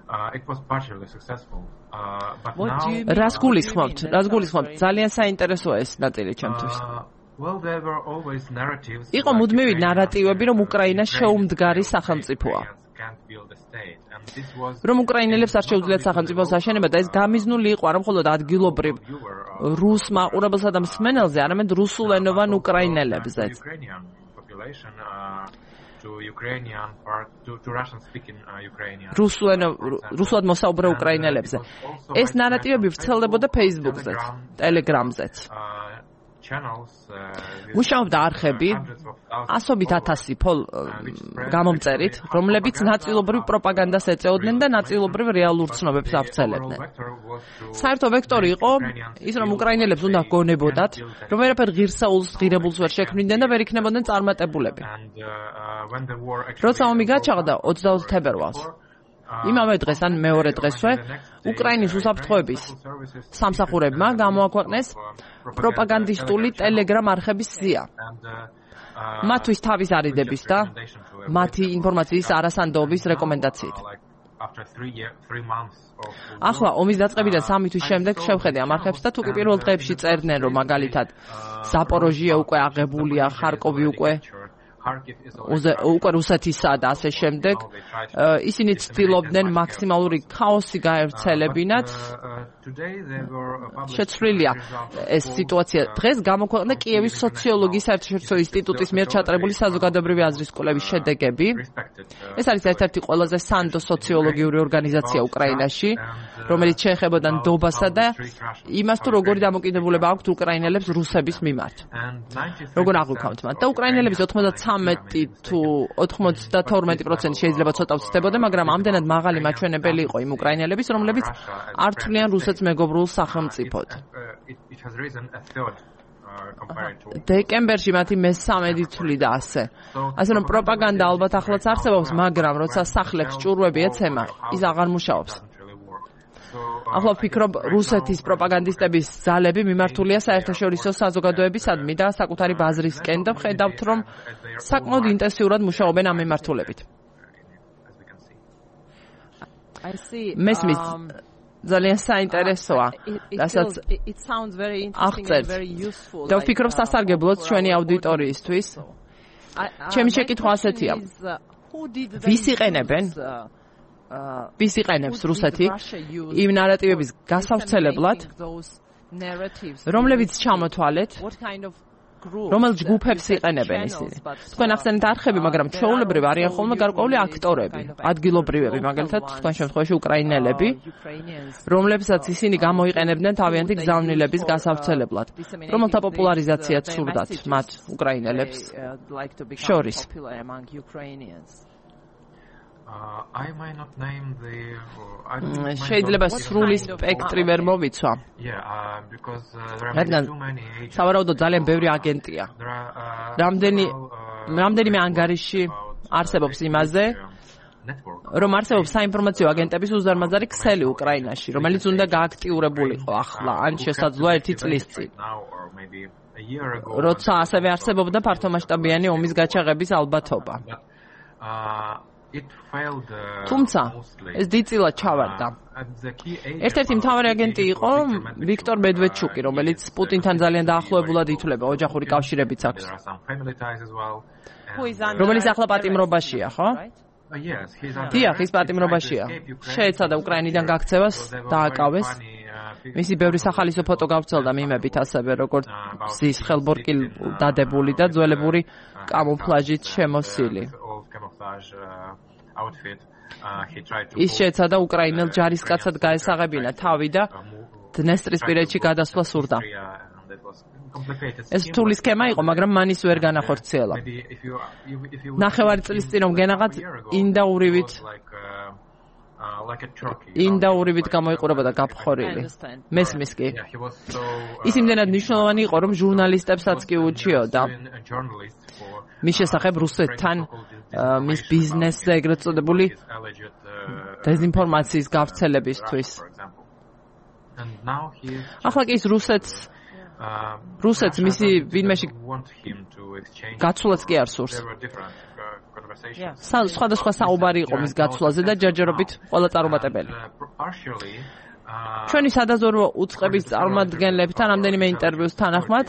Uh, it was partially successful. Uh, but now რას გულისხმობთ? რას გულისხმობთ? ძალიან საინტერესოა ეს ნაწილი ჩემთვის. Well, there were always narratives. იყო მუდმივი ნარატივები, რომ უკრაინა შეუმდგარი სახელმწიფოა. რომ უკრაინელებს არ შეუძლიათ სახელმწიფოს აშენება და ეს გამიზნული იყო არა მხოლოდ ადგილობრივ რუს მაყურებელსა და მსმენელზე, არამედ რუსულენოვან უკრაინელებზეც. To Ukrainian part to, to Russian speaking uh, Ukrainian. რუსულად მოსაუბრე უკრაინელებზე. ეს ნარატივები ვრცელდებოდა Facebook-ზეც, Telegram-ზეც. მუშაობდა არხები ასობით ათასი გამომწერით, რომლებიც ნაწილობრივ პროპაგანდას ეწეოდნენ და ნაწილობრივ რეალურ ცნობებს ავრცელებდნენ. საერთო ვექტორი იყო ის, რომ უკრაინელებს უნდა გონებოდათ, რომ ვერაფერ ღირსეულს, ღირებულს ვერ შექმნიდნენ და ვერ იქნებოდნენ წარმატებულები. როცა ომი გაჩაღდა ოცდაოთხ თებერვალს, იმავე დღეს ან მეორე დღესვე უკრაინის უსაფრთხოების სამსახურებმა გამოაქვეყნეს პროპაგანდისტული Telegram არხების სია. მათთვის თავის არიდების და მათი ინფორმაციის არასანდოობის რეკომენდაციით. ახლა ომის დაწყებიდან სამი თვის შემდეგ შევხედე ამ არხებს და თუკი პირველ დღეებში წერდნენ, რომ მაგალითად ზაპოროჟია უკვე აღებულია, ხარკოვი უკვე უკვე რუსეთისა და ასე შემდეგ, ისინი ცდილობდნენ მაქსიმალური ქაოსი გაევრცელებინათ. შეცვლილია ეს სიტუაცია. დღეს გამოქვეყნდა კიევის სოციოლოგიის საერთაშორისო ინსტიტუტის მიერ ჩატარებული საზოგადოებრივი აზრის კვლევის შედეგები. ეს არის ერთ-ერთი ყველაზე სანდო სოციოლოგიური ორგანიზაცია უკრაინაში, რომელიც შეეხებოდა ნდობასა და იმას, თუ როგორი დამოკიდებულება აქვთ უკრაინელებს რუსების მიმართ. როგორ აღვიქავთ მათ და უკრაინელების ოცდათვრამეტი თუ ოცდათორმეტი პროცენტი შეიძლება ცოტა ვცდებოდა, მაგრამ ამდენად მაღალი მაჩვენებელი იყო იმ უკრაინელების, რომლებიც არ თვლიან რუსეთს მეგობრულ სახელმწიფოდ. დეკემბერში მათი მესამედი თვლიდა ასე. ასე რომ პროპაგანდა ალბათ ახლაც არსებობს, მაგრამ როცა სახლებს ჭურვები ეცემა, ის აღარ მუშაობს. ახლა ვფიქრობ, რუსეთის პროპაგანდისტების ძალები მიმართულია საერთაშორისო საზოგადოებისადმი და საკუთარი ბაზრისკენ და ვხედავთ, რომ საკმაოდ ინტენსიურად მუშაობენ ამ მიმართულებით. მესმის ძალიან საინტერესოა, რასაც აღწერთ. და ვფიქრობ, სასარგებლოც ჩვენი აუდიტორიისთვის. ჩემი შეკითხვა ასეთია. ვის იყენებენ? ვის იყენებს რუსეთი იმ ნარატივების გასავრცელებლად, რომლებიც ჩამოთვალეთ, რომელ ჯგუფებს იყენებენ ისინი? თქვენ ახსენეთ არხები, მაგრამ ჩვეულებრივ არიან ხოლმე გარკვეული aktorები, ადგილობრივები, მაგალითად თქვენ შემთხვევაში უკრაინელები, რომლებსაც ისინი გამოიყენებდნენ თავიანთი გზავნილების გასავრცელებლად, რომელთა პოპულარიზაციაც სურდათ მათ უკრაინელებს შორის. Uh, I might not name the uh, შეიძლება სრული სპექტრი ვერ მოვიცვა. Yeah, uh, because uh, there are too many agents. სავარაუდოდ ძალიან ბევრი აგენტია. რამდენი რამდენიმე ანგარიში არსებობს იმაზე, რომ არსებობს საინფორმაციო აგენტების უზარმაზარი ქსელი უკრაინაში, რომელიც უნდა გააქტიურებულიყო ახლა, ან შესაძლოა ერთი წლის წინ. როცა ასევე არსებობდა ფართომასშტაბიანი ომის გაჩაღების ალბათობა. თუმცა ეს დიდწილად ჩავარდა. ერთ-ერთი მთავარი აგენტი იყო ვიქტორ მედვედჩუკი, რომელიც პუტინთან ძალიან დაახლოებულად ითვლება, ოჯახური კავშირებიც აქვს. რომელიც ახლა პატიმრობაშია, ხო? დიახ, ის პატიმრობაშია. შეეცადა უკრაინიდან გაქცევას, დააკავეს. მისი ბევრი სახალისო ფოტო გავრცელდა მიმებით, ასევე როგორც მზის ხელბორკი დადებული და ძველებური კამუფლაჟით შემოსილი. full camouflage uh, outfit. Uh, he tried to ის შეეცადა უკრაინელ ჯარისკაცად გაესაღებინა თავი და დნესტრისპირეთში გადასვლა სურდა. ეს რთული სქემა იყო, მაგრამ მან ის ვერ განახორციელა. ნახევარი წლის წინ რომ გენაღად ინდაურივით ინდაურივით გამოიყურებოდა გაფხორილი. მესმის კი. ის იმდენად მნიშვნელოვანი იყო, რომ ჟურნალისტებსაც კი უჩიოდა. მის შესახებ რუსეთთან მის ბიზნესზე ეგრეთ წოდებული დეზინფორმაციის გავრცელებისთვის. ახლა კი ის რუსეთს რუსეთს მისი ვინმეში გაცვლაც კი არ სურს. სხვადასხვა საუბარი იყო მის გაცვლაზე და ჯერჯერობით ყველა წარუმატებელი. ჩვენი სადაზვერვო უწყების წარმომადგენლებთან რამდენიმე ინტერვიუს თანახმად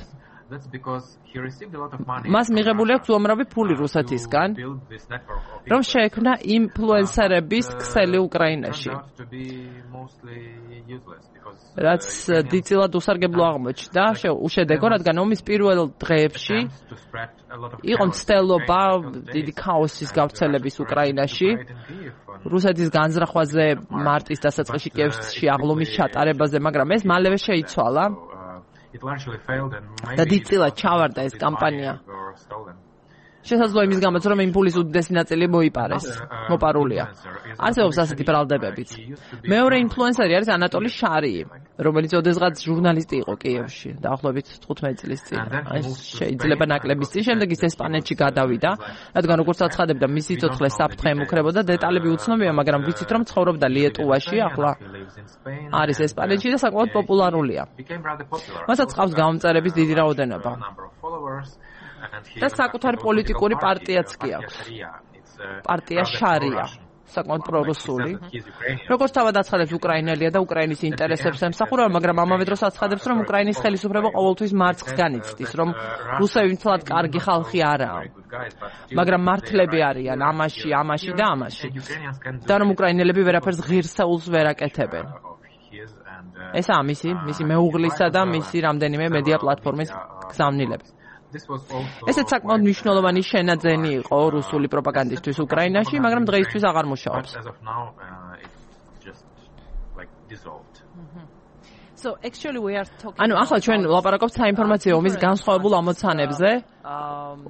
მას მიღებული აქვს უამრავი ფული რუსეთისგან, რომ შეექმნა ინფლუენსერების ქსელი უკრაინაში. რაც დიდწილად უსარგებლო აღმოჩნდა, უშედეგო, რადგან ომის პირველ დღეებში იყო მცდელობა დიდი ქაოსის გავრცელების უკრაინაში, რუსეთის განზრახვაზე მარტის დასაწყისში კიევში აღლუმის ჩატარებაზე, მაგრამ ეს მალევე შეიცვალა. და დიდწილად ჩავარდა ეს კამპანია. შესაძლოა იმის გამოც, რომ იმპულის უდიდესი ნაწილი მოიპარეს, მოპარულია. არსებობს ასეთი ბრალდებებიც. მეორე ინფლუენსერი არის ანატოლი შარიი, რომელიც ოდესღაც ჟურნალისტი იყო კიევში, დაახლოებით თხუთმეტი წლის წინ. შეიძლება ნაკლების წინ, შემდეგ ის ესპანეთში გადავიდა, რადგან როგორც აცხადებდა, მისი სიცოცხლე საფრთხე ემუქრებოდა, დეტალები უცნობია, მაგრამ ვიცით, რომ ცხოვრობდა ლიეტუვაში, ახლა არის ესპანეთში და საკმაოდ პოპულარულია. მასაც ყავს გამომწერების დიდი რაოდენობა. და საკუთარი პოლიტიკური პარტიაც კი აქვს. პარტია შარია, საკმაოდ პრორუსული. როგორც თავად აცხადებს, უკრაინელია და უკრაინის ინტერესებს ემსახურება, მაგრამ ამავე დროს აცხადებს, რომ უკრაინის ხელისუფლება ყოველთვის მარცხს განიცდის, რომ რუსები მთლად კარგი ხალხი არაა. მაგრამ მართლები არიან ამაში, ამაში და ამაში. და რომ უკრაინელები ვერაფერს ღირსეულს ვერ აკეთებენ. ესაა მისი, მისი მეუღლისა და მისი რამდენიმე მედია პლატფორმის გზავნილები. ესეც საკმაოდ მნიშვნელოვანი შენაძენი იყო რუსული პროპაგანდისტვის უკრაინაში, მაგრამ დღეისთვის აღარ მუშაობს. ანუ ახლა ჩვენ ვლაპარაკობთ საინფორმაციო ომის განსხვავებულ ამოცანებზე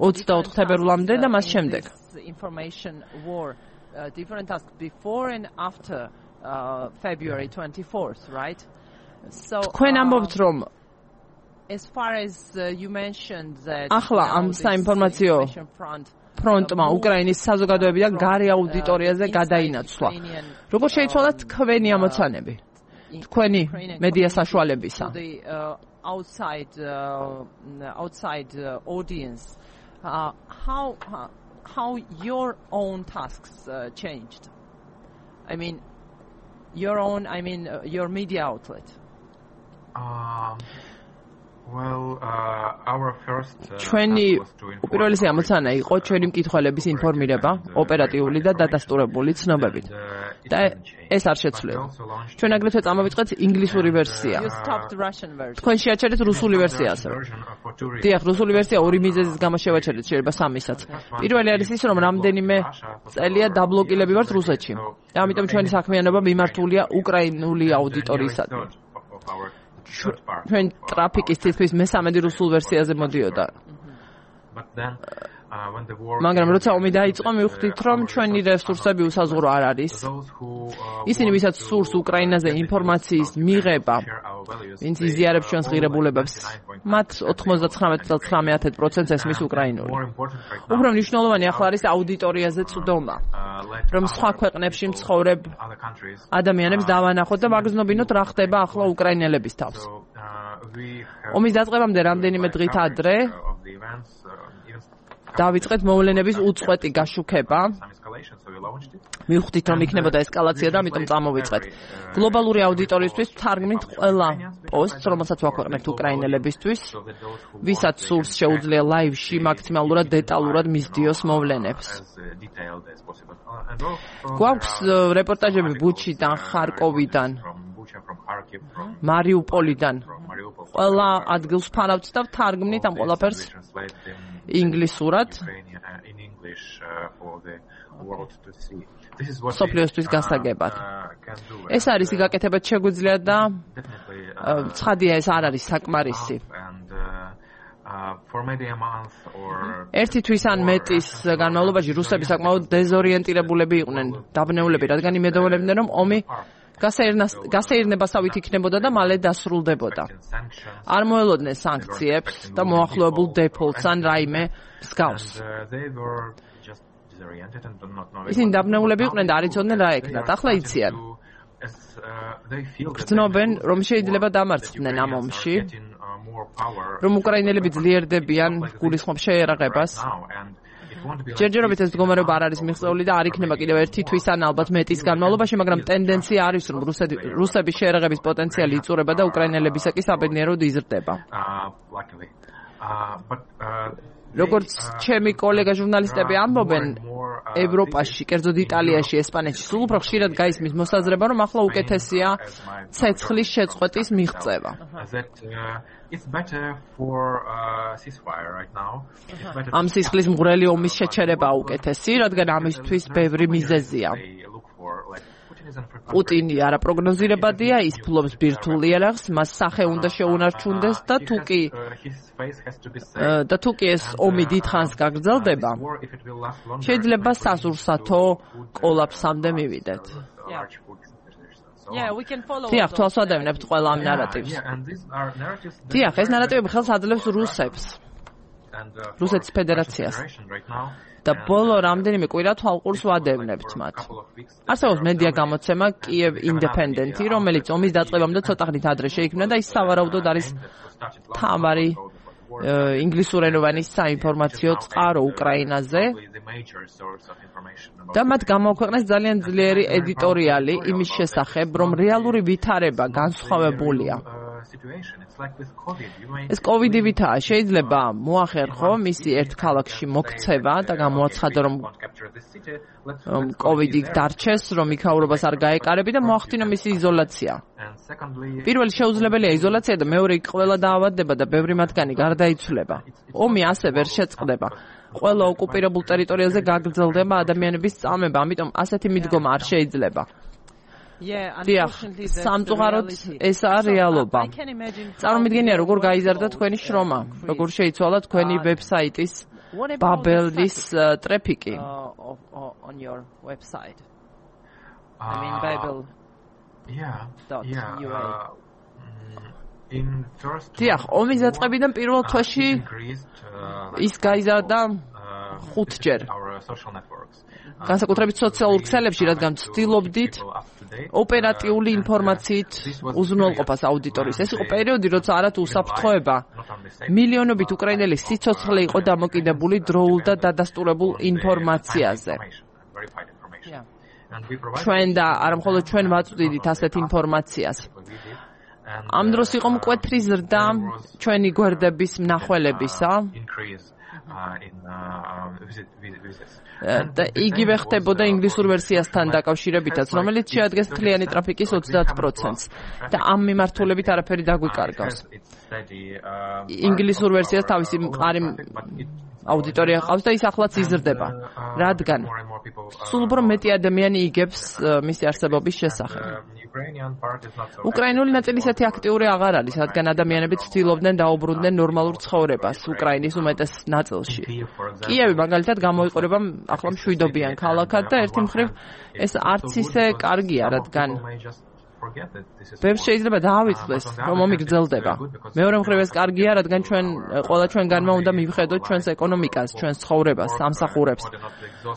ოცდაოთხ თებერვლამდე და მას შემდეგ. February twenty-fourth, right? So თქვენ ამბობთ, რომ as far as uh, you mentioned that ახლა ამ საინფორმაციო ფრონტმა უკრაინის საზოგადოებიდან გარე აუდიტორიაზე გადაინაცვლა. როგორ შეიცვალა თქვენი ამოცანები? თქვენი მედია საშუალებისა? outside uh, outside uh, audience uh, how uh, how your own tasks uh, changed? I mean your own I mean uh, your media outlet. Um Well, uh, our first ჩვენი უპირველესი ამოცანა იყო ჩვენი მკითხველების ინფორმირება, ოპერატიული და დადასტურებული ცნობებით. და ეს არ შეცვლილა. ჩვენ აგრეთვე წამოვიწყეთ ინგლისური ვერსია. თქვენ შეაჩერეთ რუსული ვერსია ასევე. დიახ, რუსული ვერსია ორი მიზეზის გამო შევაჩერეთ, შეიძლება სამისაც. პირველი არის ის, რომ რამდენიმე წელია დაბლოკილები ვართ რუსეთში. და ამიტომ ჩვენი საქმიანობა მიმართულია უკრაინული აუდიტორიისადმი. ჩვენ ტრაფიკის თითქმის მესამედი რუსულ ვერსიაზე მოდიოდა. მაგრამ როცა ომი დაიწყო, მივხვდით, რომ ჩვენი რესურსები უსაზღვრო არ არის. ისინი, ვისაც სურს უკრაინაზე ინფორმაციის მიღება, ვინც იზიარებს ჩვენს ღირებულებებს, მათ ოთხმოცდათხრამეტი წელს ცხრამეტ პროცენტს ესმის უკრაინული. უფრო მნიშვნელოვანი ახლა არის აუდიტორიაზე წვდომა, რომ სხვა ქვეყნებში მცხოვრებ ადამიანებს დავანახოთ და ვაგრძნობინოთ რა ხდება ახლა უკრაინელების თავს. ომის დაწყებამდე რამდენიმე დღით ადრე დავიწყეთ მოვლენების უწყვეტი გაშუქება. მივხვდით, რომ იქნებოდა ესკალაცია და ამიტომ წამოვიწყეთ. გლობალური აუდიტორიისთვის ვთარგმნით ყველა პოსტს, რომელსაც ვაქვეყნებთ უკრაინელებისთვის, ვისაც სურს შეუძლია ლაივში მაქსიმალურად დეტალურად მისდიოს მოვლენებს. გვაქვს რეპორტაჟები ბუჩიდან, ხარკოვიდან, მარიუპოლიდან. ყველა ადგილს ვფარავთ და ვთარგმნით ამ ყველაფერს ინგლისურად სოფლიოსთვის გასაგებად. ეს არის გაკეთებად შეგვიძლია და ცხადია ეს არ არის საკმარისი. ერთი თვის ან მეტის განმავლობაში რუსები საკმაოდ დეზორიენტირებულები იყვნენ, დაბნეულები, რადგან იმედოვნებდნენ, რომ ომი გასეირნებასავით იქნებოდა და მალე დასრულდებოდა. არ მოელოდნენ სანქციებს და მოახლოებულ დეფოლტს ან რაიმე მსგავს. ისინი დაბნეულები იყვნენ და არ იცოდნენ რა ეკნათ. ახლა იციან. გრძნობენ, რომ შეიძლება დამარცხდნენ ამ ომში, რომ უკრაინელები ძლიერდებიან გულისხმობ შეერაღებას. ჯერჯერობით ეს მდგომარეობა არ არის მიღწეული და არ იქნება კიდევ ერთი თვის ან ალბათ მეტის განმავლობაში, მაგრამ ტენდენცია არის, რომ რუსების შეერაღების პოტენციალი იწურება და უკრაინელებისაკი საბედნიეროდ იზრდება. როგორც ჩემი კოლეგა ჟურნალისტები ამბობენ, ევროპაში, კერძოდ იტალიაში, ესპანეთში სულ უფრო ხშირად გაისმის მოსაზრება, რომ ახლა უკეთესია ცეცხლის შეწყვეტის მიღწევა. ამ სისხლის მღვრელი ომის შეჩერება უკეთესი, რადგან ამისთვის ბევრი მიზეზია. პუტინი არაპროგნოზირებადია, ის ფლობს ბირთვულ იარაღს, მას სახე უნდა შეუნარჩუნდეს და თუ კი და თუ კი ეს ომი დიდხანს გაგრძელდება, შეიძლება სასურსათო კოლაფსამდე მივიდეთ. Yeah, we can follow. დიახ, თვალს ვადევნებთ ყველა ამ ნარატივს. დიახ, ეს ნარატივები ხელს აძლევს რუსებს, რუსეთის ფედერაციას. და ბოლო რამდენიმე კვირა თვალყურს ვადევნებთ მათ. არსებობს მედია გამოცემა კიევ ინდეპენდენტი, რომელიც ომის დაწყებამდე ცოტა ხნით ადრე შეიქმნა და ის სავარაუდოდ არის თავარი ინგლისურენოვანი საინფორმაციო წყარო უკრაინაზე. და მათ გამოაქვეყნეს ძალიან ძლიერი ედიტორიალი იმის შესახებ, რომ რეალური ვითარება განსხვავებულია. ეს კოვიდი ვითაა, შეიძლება მოახერხო მისი ერთ ქალაქში მოქცევა და გამოაცხადო, რომ კოვიდი დარჩეს, რომ იქაურობას არ გაეკარები და მოახდინო მისი იზოლაცია. პირველი შეუძლებელია იზოლაცია და მეორე იქ ყველა დაავადდება და ბევრი მათგანი გარდაიცვლება. ომი ასე ვერ შეწყდება. ყველა ოკუპირებულ ტერიტორიაზე გაგრძელდება ადამიანების წამება, ამიტომ ასეთი მიდგომა არ შეიძლება. დიახ, სამწუხაროდ ესაა რეალობა. წარმოვიდგენია, როგორ გაიზარდა თქვენი შრომა, როგორ შეიცვალა თქვენი ვებსაიტის ბაბელის ტრაფიკი. On your website. I mean Babel. Yeah. დიახ, ომის დაწყებიდან პირველ თვეში ის გაიზარდა ხუთჯერ. განსაკუთრებით სოციალურ ქსელებში, რადგან ვცდილობდით ოპერატიული ინფორმაციით უზრუნველყოფას აუდიტორიის. ეს იყო პერიოდი, როცა არათუ უსაფრთხოება მილიონობით უკრაინელი სიცოცხლე იყო დამოკიდებული დროულ და დადასტურებულ ინფორმაციაზე. ჩვენ და არა მხოლოდ ჩვენ ვაწვდიდით ასეთ ინფორმაციას. ამ დროს იყო მკვეთრი ზრდა ჩვენი გვერდების მნახველებისა. და იგივე ხდებოდა ინგლისურ ვერსიასთან დაკავშირებითაც, რომელიც შეადგენს მთლიანი ტრაფიკის ოცდაათ პროცენტს და ამ მიმართულებით არაფერი დაგვიკარგავს. ინგლისურ ვერსიას თავისი მყარი აუდიტორია ყავს და ის ახლაც იზრდება, რადგან სულ უფრო მეტი ადამიანი იგებს მისი არსებობის შესახებ. უკრაინული ნაწილი ისეთი აქტიური აღარ არის, რადგან ადამიანები ცდილობდნენ დაუბრუნდნენ ნორმალურ ცხოვრებას უკრაინის უმეტეს ნაწილში. კიევი მაგალითად გამოიყურება ახლა მშვიდობიან ქალაქად და ერთი მხრივ ეს არც ისე კარგია, რადგან ბევრს შეიძლება დაავიწყდეს, რომ ომი გრძელდება. მეორე მხრივ ეს კარგია, რადგან ჩვენ ყველა ჩვენგანმა უნდა მივხედოთ ჩვენს ეკონომიკას, ჩვენს ცხოვრებას, სამსახურებს,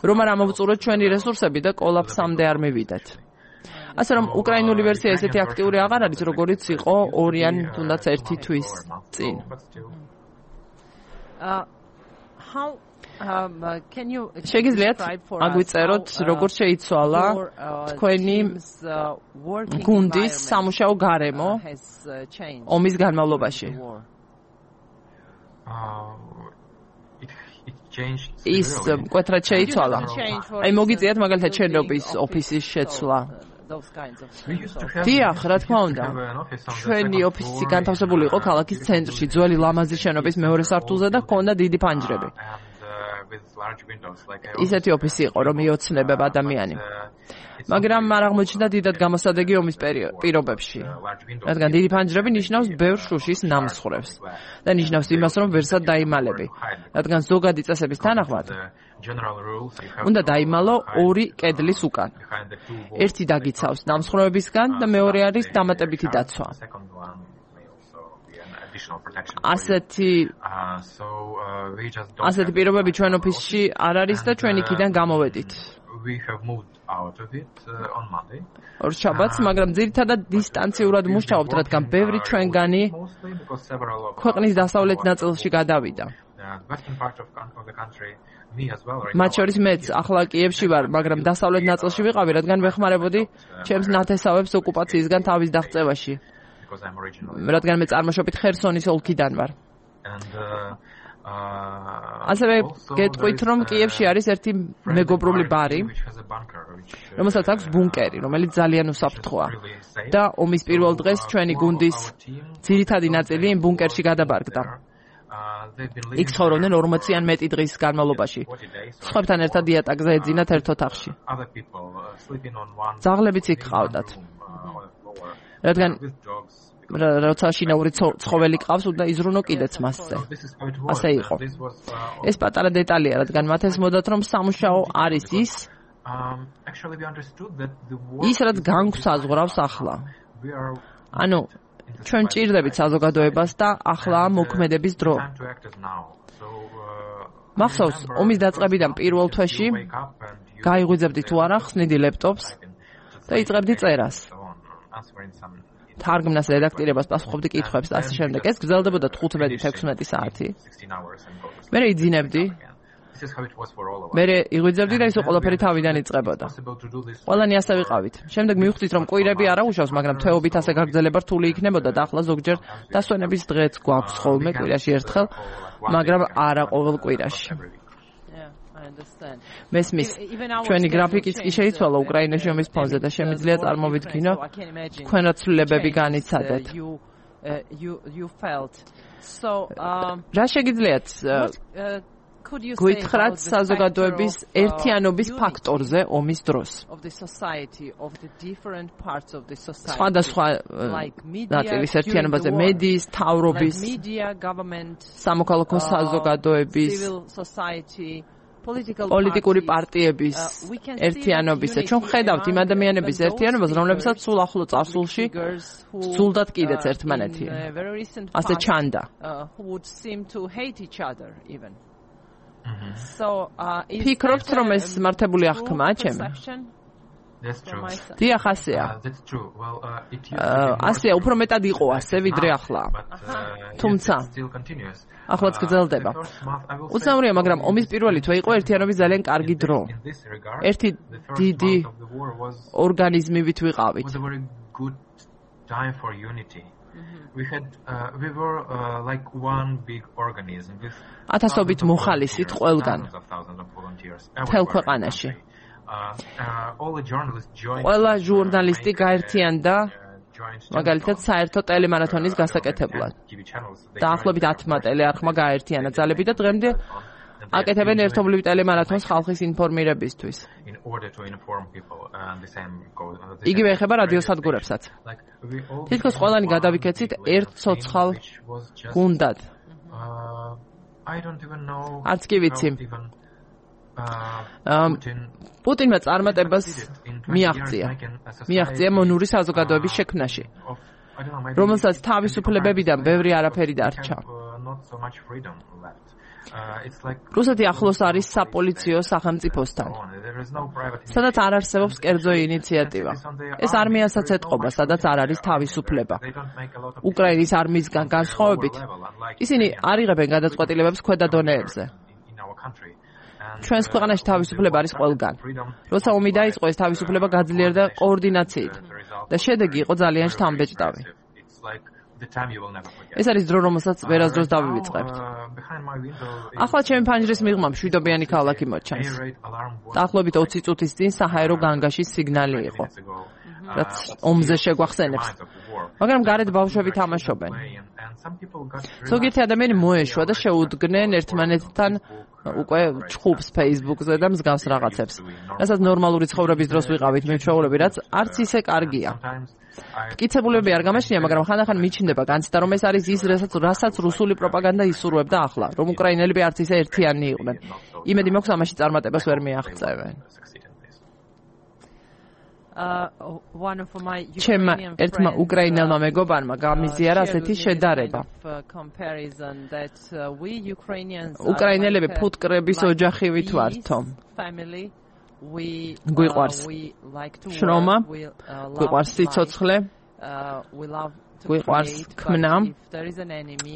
რომ არ ამოვწუროთ ჩვენი რესურსები და კოლაფსამდე არ მივიდეთ. ასე რომ უკრაინული ვერსია ესეთი აქტიური აღარ არის, როგორიც იყო ორი ან თუნდაც ერთი თვის წინ. შეგიძლიათ აგვიწეროთ, როგორ შეიცვალა თქვენი გუნდის სამუშაო გარემო ომის განმავლობაში. ის მკვეთრად შეიცვალა. აი მოგიწიათ მაგალითად შენობის ოფისის შეცვლა. დიახ, რა თქმა უნდა. ჩვენი ოფისი განთავსებული იყო ქალაქის ცენტრში, ძველი ლამაზი შენობის მეორე სართულზე და ჰქონდა დიდი ფანჯრები. ისეთი ოფისი იყო, რომ იოცნებებ ადამიანი. მაგრამ არ აღმოჩნდა დიდად გამოსადეგი ომის პირობებში. რადგან დიდი ფანჯრები ნიშნავს ბევრ შუშის ნამსხვრევს და ნიშნავს იმას, რომ ვერსად დაიმალები. რადგან ზოგადი წესების თანახმად უნდა დაიმალო ორი კედლის უკან. ერთი დაგიცავს ნამსხვრევებისგან და მეორე არის დამატებითი დაცვა. ასეთი ასეთი პირობები ჩვენ ოფისში არ არის და ჩვენ იქიდან გამოვედით. ორ შაბათს, მაგრამ ძირითადად დისტანციურად მუშაობთ, რადგან ბევრი ჩვენგანი ქვეყნის დასავლეთ ნაწილში გადავიდა. მათ შორის მეც ახლა კიევში ვარ, მაგრამ დასავლეთ ნაწილში ვიყავი, რადგან ვეხმარებოდი ჩემს ნათესავებს ოკუპაციისგან თავის დაღწევაში. რადგან მე წარმოშობით ხერსონის ოლქიდან ვარ. ასევე გეტყვით, რომ კიევში არის ერთი მეგობრული ბარი, რომელსაც აქვს ბუნკერი, რომელიც ძალიან უსაფრთხოა. და ომის პირველ დღეს ჩვენი გუნდის ძირითადი ნაწილი იმ ბუნკერში გადაბარგდა. იქ ცხოვრობდნენ ორმოცი ან მეტი დღის განმავლობაში. სხვებთან ერთად იატაკზე ეძინათ ერთ ოთახში. ძაღლებიც იქ ყავდათ. რადგან როცა შინაური ცხოველი ყავს, უნდა იზრუნო კიდეც მასზე. ასე იყო. ეს პატარა დეტალია, რადგან მათ ესმოდათ, რომ სამუშაო არის ის, ის რაც განგვსაზღვრავს ახლა. ანუ ჩვენ ჭირდებით საზოგადოებას და ახლა მოქმედების დრო. მახსოვს, ომის დაწყებიდან პირველ თვეში გაიღვიძებდი თუ არა ხსნიდი ლეპტოპს და იწყებდი წერას. თარგმნას რედაქტირებას პასუხობდი კითხვებს და ასე შემდეგ. ეს გრძელდებოდა თხუთმეტი ექვსმეტი საათი. მე იძინებდი. მე იღვიძებდი და ისო ყველაფერი თავიდან იწყებოდა. ყველანი ასე ვიყავით. შემდეგ მივხვდით, რომ კვირები არ აუშავს, მაგრამ თვეობით ასე გაგრძელება რთული იქნებოდა და ახლა ზოგჯერ დასვენების დღეც გვაქვს ხოლმე კვირაში ერთხელ, მაგრამ არა ყოველ კვირაში. მესმის, ჩვენი გრაფიკიც კი შეიცვალა უკრაინაში ომის ფონზე და შემიძლია წარმოვიდგინო, თქვენ რა ცვლილებები განიცადეთ. რა შეგიძლიათ გითხრათ საზოგადოების ერთიანობის ფაქტორზე ომის დროს? სხვადასხვა ნაწილის ერთიანობაზე, მედიის, მთავრობის, სამოქალაქო საზოგადოების, პოლიტიკური პარტიების ერთიანობისა. ჩვენ ხედავთ იმ ადამიანების ერთიანობას, რომლებსაც სულ ახლო წარსულში სძულდათ კიდეც ერთმანეთი. ასე ჩანდა. ფიქრობთ, რომ ეს მართებული აღქმა ჩემი? დიახ, ასეა. ასეა, უფრო მეტად იყო ასე, ვიდრე ახლა. თუმცა ახლაც გრძელდება. უცნაურია, მაგრამ ომის პირველი თვე იყო ერთიანობის ძალიან კარგი დრო. ერთი დიდი ორგანიზმივით ვიყავით. ათასობით მოხალისით ყველგან. მთელ ქვეყანაში. ყველა ჟურნალისტი გაერთიანდა მაგალითად საერთო ტელემარათონის გასაკეთებლად. დაახლოებით ათმა ტელეარხმა გაერთიანა ძალები და დღემდე აკეთებენ ერთობლივ ტელემარათონს ხალხის ინფორმირებისთვის. იგივე ეხება რადიოსადგურებსაც. თითქოს ყველანი გადავიქეცით ერთ ცოცხალ გუნდად. არც კი ვიცი. პუტინმა წარმატებას მიაღწია. მიაღწია მონური საზოგადოების შექმნაში, რომელსაც თავისუფლებებიდან ბევრი არაფერი დარჩა. რუსეთი ახლოს არის საპოლიციო სახელმწიფოსთან, სადაც არ არსებობს კერძო ინიციატივა. ეს არმიასაც ეტყობა, სადაც არ არის თავისუფლება. უკრაინის არმიისგან განსხვავებით, ისინი არ იღებენ გადაწყვეტილებებს ქვედა დონეებზე. ჩვენს ქვეყანაში თავისუფლება არის ყველგან. როცა ომი დაიწყო, ეს თავისუფლება გაძლიერდა კოორდინაციით და შედეგი იყო ძალიან შთამბეჭდავი. ეს არის დრო, რომელსაც ვერასდროს დავივიწყებთ. ახლა ჩემი ფანჯრის მიღმა მშვიდობიანი ქალაქი მოჩანს. დაახლოებით ოცი წუთის წინ საჰაერო განგაშის სიგნალი იყო, რაც ომზე შეგვახსენებს. მაგრამ გარეთ ბავშვები თამაშობენ. ზოგიერთი ადამიანი მოეშვა და შეუდგნენ ერთმანეთთან უკვე ჩხუბს Facebook-ზე და მსგავს რაღაცებს. რასაც ნორმალური ცხოვრების დროს ვიყავით მეჩვეულები, რაც არც ისე კარგია. მტკიცებულებები არ გამაჩნია, მაგრამ ხანდახან მიჩნდება განცდა, რომ ეს არის ის, რასაც რასაც რუსული პროპაგანდა ისურვებდა ახლა, რომ უკრაინელები არც ისე ერთიანი იყვნენ. იმედი მაქვს ამაში წარმატებას ვერ მიაღწევენ. ჩემმა ერთმა უკრაინელმა მეგობარმა გამიზიარა ასეთი შედარება. უკრაინელები ფუტკრების ოჯახივით ვართო. გვიყვარს შრომა, გვიყვარს სიცოცხლე, გვიყვარს ქმნა,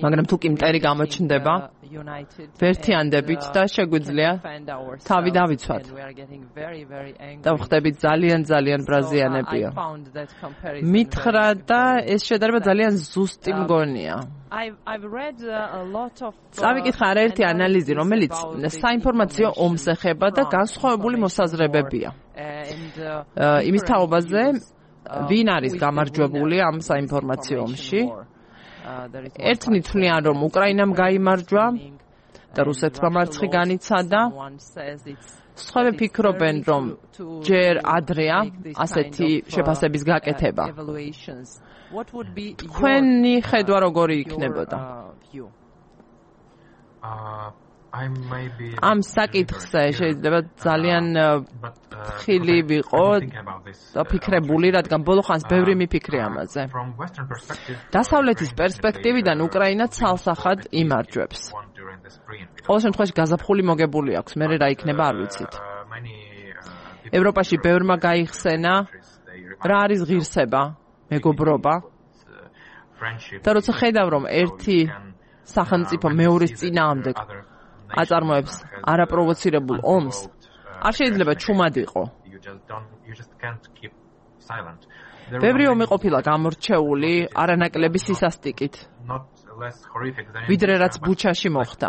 მაგრამ თუ კი მტერი გამოჩნდება, ვერთიანდებით და შეგვიძლია თავი დავიცვათ. და ვხდებით ძალიან ძალიან ბრაზიანებია. მითხრა და ეს შედარება ძალიან ზუსტი მგონია. წავიკითხა არაერთი ანალიზი, რომელიც საინფორმაციო ომს ეხება და განსხვავებული მოსაზრებებია. იმის თაობაზე ვინ არის გამარჯვებული ამ საინფორმაციო ომში? ერთნი თვლიან, რომ უკრაინამ გაიმარჯვა და რუსეთმა მარცხი განიცადა. სხვები ფიქრობენ, რომ ჯერ ადრეა ასეთი შეფასების გაკეთება. თქვენი ხედვა როგორი იქნებოდა? ამ საკითხზე შეიძლება ძალიან ხილი ვიყო და ფიქრებული, რადგან ბოლო ხანს ბევრი მიფიქრე ამაზე. დასავლეთის პერსპექტივიდან უკრაინა ცალსახად იმარჯვებს. ყოველ შემთხვევაში გაზაფხული მოგებული აქვს, მე რა იქნება არ ვიცით. ევროპაში ბევრმა გაიხსენა რა არის ღირსება, მეგობრობა. და როცა ხედავ, რომ ერთი სახელმწიფო მეორის წინააღმდეგ აწარმოებს არაპროვოცირებულ ომს, არ შეიძლება ჩუმად იყო. ბევრი ომი ყოფილა გამორჩეული არანაკლები სისასტიკით, ვიდრე რაც ბუჩაში მოხდა.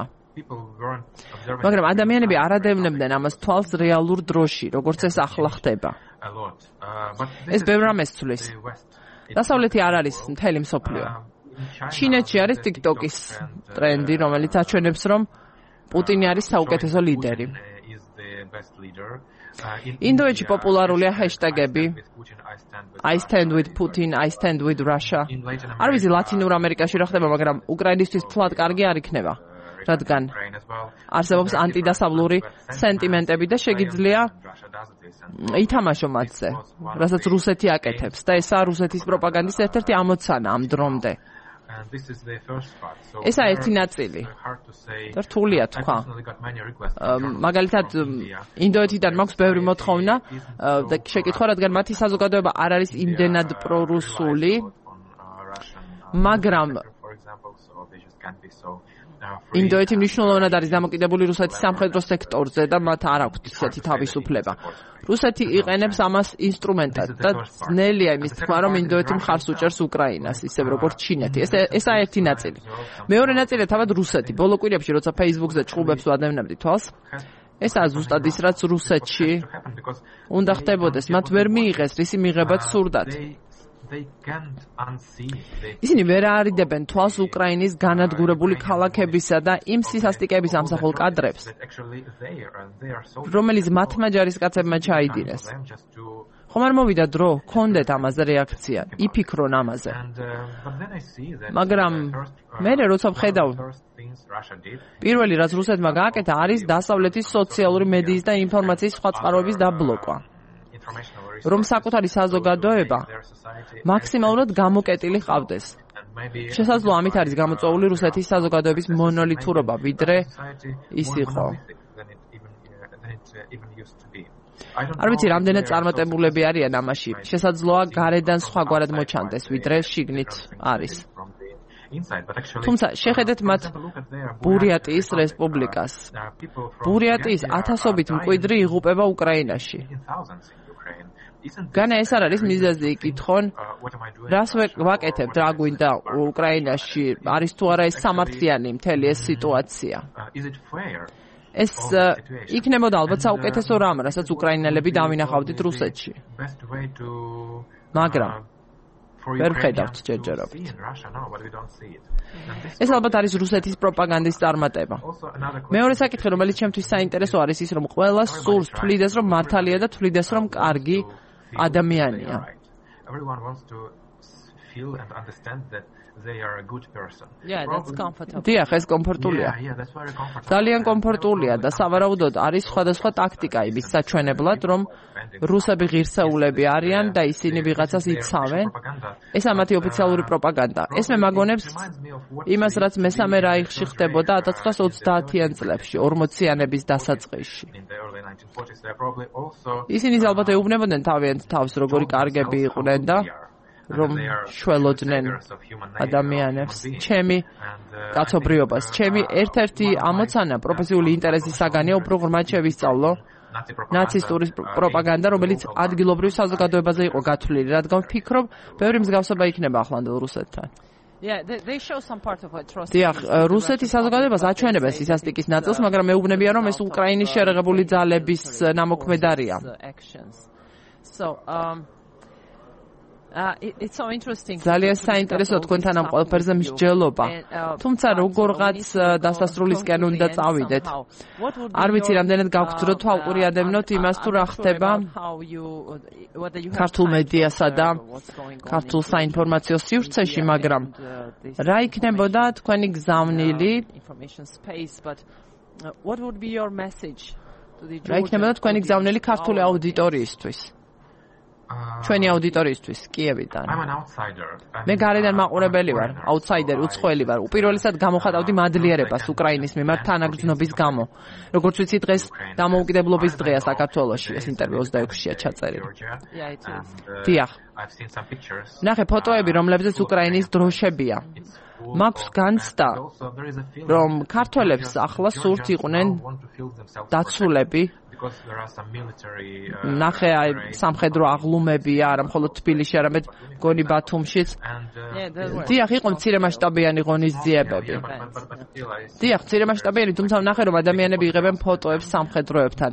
მაგრამ ადამიანები არ ადევნებდნენ ამას თვალს რეალურ დროში, როგორც ეს ახლა ხდება. ეს ბევრ რამეს ცვლის. დასავლეთი არ არის მთელი მსოფლიო. ჩინეთში არის TikTok-ის ტრენდი, რომელიც აჩვენებს, რომ პუტინი არის საუკეთესო ლიდერი. ინდოეთში პოპულარულია ჰეშტეგები I stand with Putin, I stand with Russia. არ ვიცი ლათინურ ამერიკაში რა ხდება, მაგრამ უკრაინისთვის თლად კარგი არ იქნება, რადგან არსებობს ანტიდასავლური სენტიმენტები და შეგიძლია ითამაშო მათზე, რასაც რუსეთი აკეთებს და ესაა რუსეთის პროპაგანდის ერთ-ერთი ამოცანა ამ დრომდე. ესაა ერთი ნაწილი. და რთულია თქვა. მაგალითად, ინდოეთიდან მაქვს ბევრი მოთხოვნა და შეკითხვა, რადგან მათი საზოგადოება არ არის იმდენად პრორუსული, მაგრამ ინდოეთი მნიშვნელოვნად არის დამოკიდებული რუსეთის სამხედრო სექტორზე და მათ არ აქვთ ისეთი თავისუფლება. რუსეთი იყენებს ამას ინსტრუმენტად და ძნელია იმის თქმა, რომ ინდოეთი მხარს უჭერს უკრაინას, ისევ როგორც ჩინეთი. ეს ესაა ერთი ნაწილი. მეორე ნაწილია თავად რუსეთი. ბოლო კვირებში, როცა Facebook-ზე ჩხუბებს ვადევნებდი თვალს, ესაა ზუსტად ის, რაც რუსეთში უნდა ხდებოდეს. მათ ვერ მიიღეს რისი მიღებაც სურდათ. ისინი ვერ არიდებენ თვალს უკრაინის განადგურებული ქალაქებისა და იმ სისასტიკების ამსახველ კადრებს, რომელიც მათმა ჯარისკაცებმა ჩაიდინეს. ხომ არ მოვიდა დრო, ჰქონდეთ ამაზე რეაქცია, იფიქრონ ამაზე. მაგრამ მე როცა ვხედავ, პირველი რაც რუსეთმა გააკეთა, არის დასავლეთის სოციალური მედიის და ინფორმაციის სხვა წყაროების დაბლოკვა. რომ საკუთარი საზოგადოება მაქსიმალურად გამოკეტილი ყავდეს. შესაძლოა ამით არის გამოწვეული რუსეთის საზოგადოების მონოლითურობა, ვიდრე ის იყო. არ ვიცი, რამდენად წარმატებულები არიან ამაში. შესაძლოა გარედან სხვაგვარად მოჩანდეს, ვიდრე შიგნით არის. თუმცა შეხედეთ მათ ბურიატიის რესპუბლიკას. ბურიატიის ათასობით მკვიდრი იღუპება უკრაინაში. განა ეს არ არის მიზეზი იკითხონ, რას ვაკეთებთ, რა გვინდა უკრაინაში, არის თუ არა ეს სამართლიანი მთელი ეს სიტუაცია. ეს იქნებოდა ალბათ საუკეთესო რამ, რასაც უკრაინელები დავინახავდით რუსეთში. მაგრამ ვერ ხედავთ ჯერჯერობით. ეს ალბათ არის რუსეთის პროპაგანდის წარმატება. მეორე საკითხი, რომელიც ჩემთვის საინტერესო არის ის, რომ ყველა სურს თვლიდეს, რომ მართალია და თვლიდეს, რომ კარგი ადამიანია. Everyone wants to feel and understand that they are a good person. Yeah, that's comfortable. დიახ, ეს კომფორტულია. Yeah, yeah, that's very comfortable. ძალიან კომფორტულია და სავარაუდოდ არის სხვადასხვა ტაქტიკა იმის საჩვენებლად, რომ რუსები ღირსეულები არიან და ისინი ვიღაცას იცავენ. ეს ამათი ოფიციალური პროპაგანდა. ეს მე მაგონებს იმას, რაც მესამე რაიხში ხდებოდა ათას ცხრაას ოცდაათიან წლებში, ორმოციანების დასაწყისში. ისინი ალბათ ეუბნებოდნენ თავიანთ თავს, როგორი კარგები იყვნენ და რომ შველოდნენ ადამიანებს, ჩემი კაცობრიობას, ჩემი ერთ-ერთი ამოცანა პროფესიული ინტერესის საგანია უფრო ღრმად შევისწავლო ნაცისტური პროპაგანდა, რომელიც ადგილობრივ საზოგადოებაზე იყო გათვლილი, რადგან ვფიქრობ, ბევრი მსგავსება იქნება ახლანდელ რუსეთთან. Yeah, they, they show some part of atrocity. დიახ, რუსეთის საზოგადოებას აჩვენებს სისასტიკის ნაწილს, მაგრამ მეუბნებიან, რომ ეს უკრაინის შერეღებული ძალების ნამოქმედარია. So, um Uh, it, it's so interesting. ძალიან საინტერესო თქვენთან ამ ყველაფერზე მსჯელობა. თუმცა როგორღაც დასასრულისკენ უნდა წავიდეთ. არ ვიცი რამდენად გაგვძროთ ვაუყურიადებნოთ იმას თუ რა ხდება ქართულ მედიასა და ქართულ საინფორმაციო სივრცეში, მაგრამ რა იქნებოდა თქვენი გზავნილი? რა იქნებოდა თქვენი გზავნილი ქართული აუდიტორიისთვის? ჩვენი აუდიტორიისთვის კიევიდან. მე გარედან მაყურებელი ვარ, აუთსაიდერი, უცხოელი ვარ. უპირველესად გამოხატავდი მადლიერებას უკრაინის მიმართ თანაგრძნობის გამო. როგორც ვიცი, დღეს დამოუკიდებლობის დღეა საქართველოში, ეს ინტერვიუ ოცდაექვსშია ჩაწერილი. დიახ. ნახე ფოტოები, რომლებზეც უკრაინის დროშებია. მაქვს განცდა, რომ ქართველებს ახლა სურთ იყვნენ დაცულები. ნახე აი სამხედრო აღლუმებია, არა მხოლოდ თბილისში, არამედ გონი ბათუმშიც. დიახ, იყო მცირე მასშტაბიანი ღონისძიებები. დიახ, მცირე მასშტაბიანი, თუმცა ნახე, რომ ადამიანები იღებენ ფოტოებს სამხედროებთან.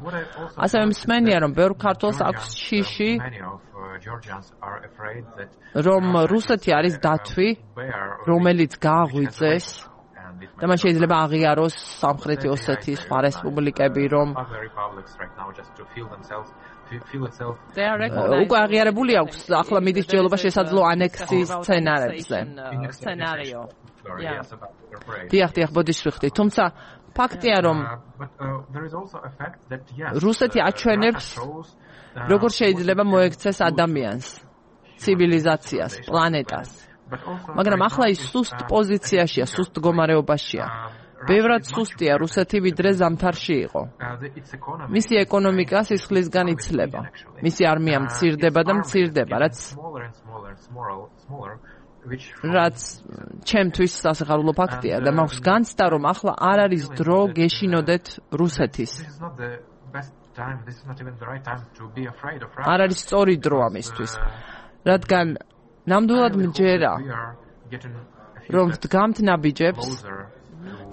ასევე მსმენია, რომ ბევრ ქართველს აქვს შიში, რომ რუსეთი არის დათვი, რომელიც გააღვიძეს და მან შეიძლება აღიაროს სამხრეთი ოსეთის სხვა რესპუბლიკები, რომ უკვე აღიარებული აქვს ახლა მიდის ჯელობა შესაძლო ანექსიის სცენარებზე. დიახ, დიახ, ბოდიშვილთი. თუმცა ფაქტია, რომ რუსეთი აჩვენებს, როგორ შეიძლება მოექცეს ადამიანს, ცივილიზაციას, პლანეტას. მაგრამ ახლა ის სუსტ პოზიციაშია, სუსტ მდგომარეობაშია. ბევრად სუსტია რუსეთი, ვიდრე ზამთარში იყო. მისი ეკონომიკა სისხლისგან იცლება. მისი არმია მცირდება და მცირდება, რაც რაც ჩემთვის სასიხარულო ფაქტია და მაქვს განცდა, რომ ახლა არ არის დრო გეშინოდეთ რუსეთის. არ არის სწორი დრო ამისთვის, რადგან ნამდვილად მჯერა, რომ ვდგამთ ნაბიჯებს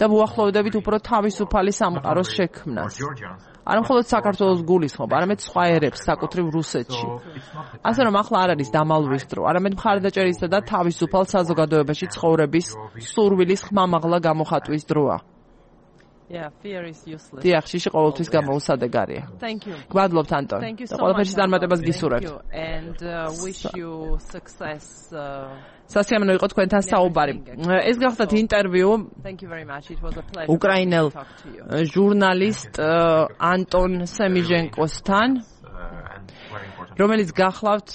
და ვუახლოვდებით უფრო თავისუფალი სამყაროს შექმნას. არა მხოლოდ საქართველოს გულისხმობ, არამედ სხვა ერებს, საკუთრივ რუსეთში. ასე რომ ახლა არ არის დამალვის დრო, არამედ მხარდაჭერისა და თავისუფალ საზოგადოებაში ცხოვრების სურვილის ხმამაღლა გამოხატვის დროა. Yeah, fear is useless. დიახ, შიში ყოველთვის გამოუსადეგარია. Thank you. გვადლობთ ანტონ. და ყველაფერში წარმატებას გისურვებთ. And uh, wish you success. Uh, სასიამოვნო იყო თქვენთან საუბარი. ეს გახდათ ინტერვიუ. Thank you very much. It was a pleasure. უკრაინელ ჟურნალისტ ანტონ სემიჟენკოსთან, რომელიც გახლავთ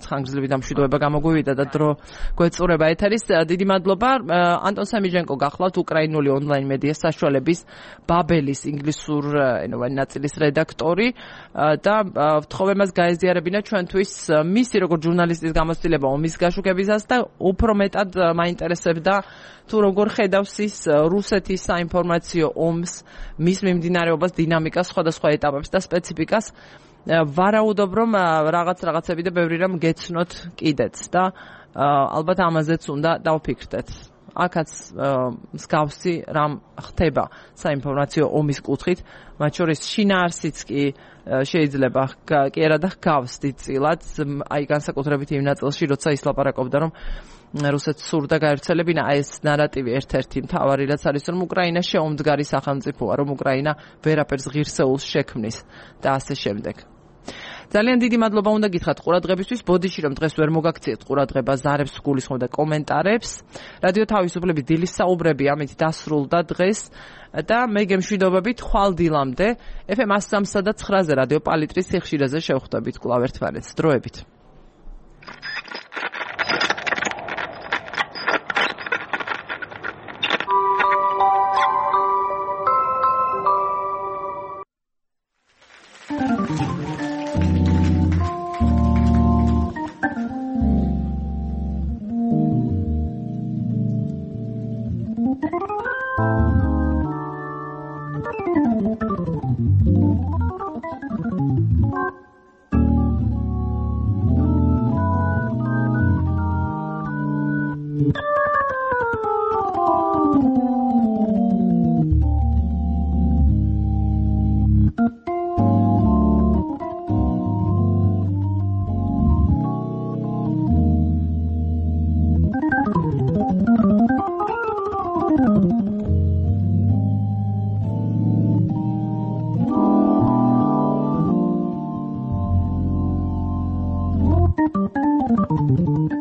ხანგრძლივი დამშვიდობება გამოგვივიდა და დრო გვეწურება ეთერის. დიდი მადლობა. ანტონ სემიჟენკო გახლავთ უკრაინული ონლაინ მედია საშუალების ბაბელის ინგლისურ ენოვანი ნაწილის რედაქტორი და ვთხოვე მას გაეზიარებინა ჩვენთვის მისი როგორც ჟურნალისტის გამოცდილება ომის გაშუქებისას და უფრო მეტად მაინტერესებდა თუ როგორ ხედავს ის რუსეთის საინფორმაციო ომს, მის მიმდინარეობას, დინამიკას, სხვადასხვა ეტაპებს და სპეციფიკას. ვარაუდობ, რომ რაღაც რაღაცები და ბევრი რამ გეცნოთ კიდეც და ალბათ ამაზეც უნდა დავფიქრდეთ. აქაც მსგავსი რამ ხდება საინფორმაციო ომის კუთხით, მათ შორის შინაარსიც კი შეიძლება კი არა და ჰგავს დიდწილად აი განსაკუთრებით იმ ნაწილში როცა ის ლაპარაკობდა რომ რუსეთს სურდა გაერთიანებინა აი ეს ნარატივი ერთ-ერთი მთავარი რაც არის რომ უკრაინა შეუმდგარი სახელმწიფოა რომ უკრაინა ვერაფერს ღირსეულს შექმნის და ასე შემდეგ. ძალიან დიდი მადლობა უნდა გითხრათ ყურადღებისთვის. ბოდიში რომ დღეს ვერ მოგაქციეთ ყურადღება ზარებს გულისხმობ და კომენტარებს. რადიო თავისუფლების დილის საუბრები ამით დასრულდა დღეს და მე გემშვიდობებით ხვალ დილამდე ეფ ემ one oh three და nine-ზე რადიო პალიტრის სიხშირეზე შევხვდებით კვლავ ერთმანეთს. დროებით. Thank you.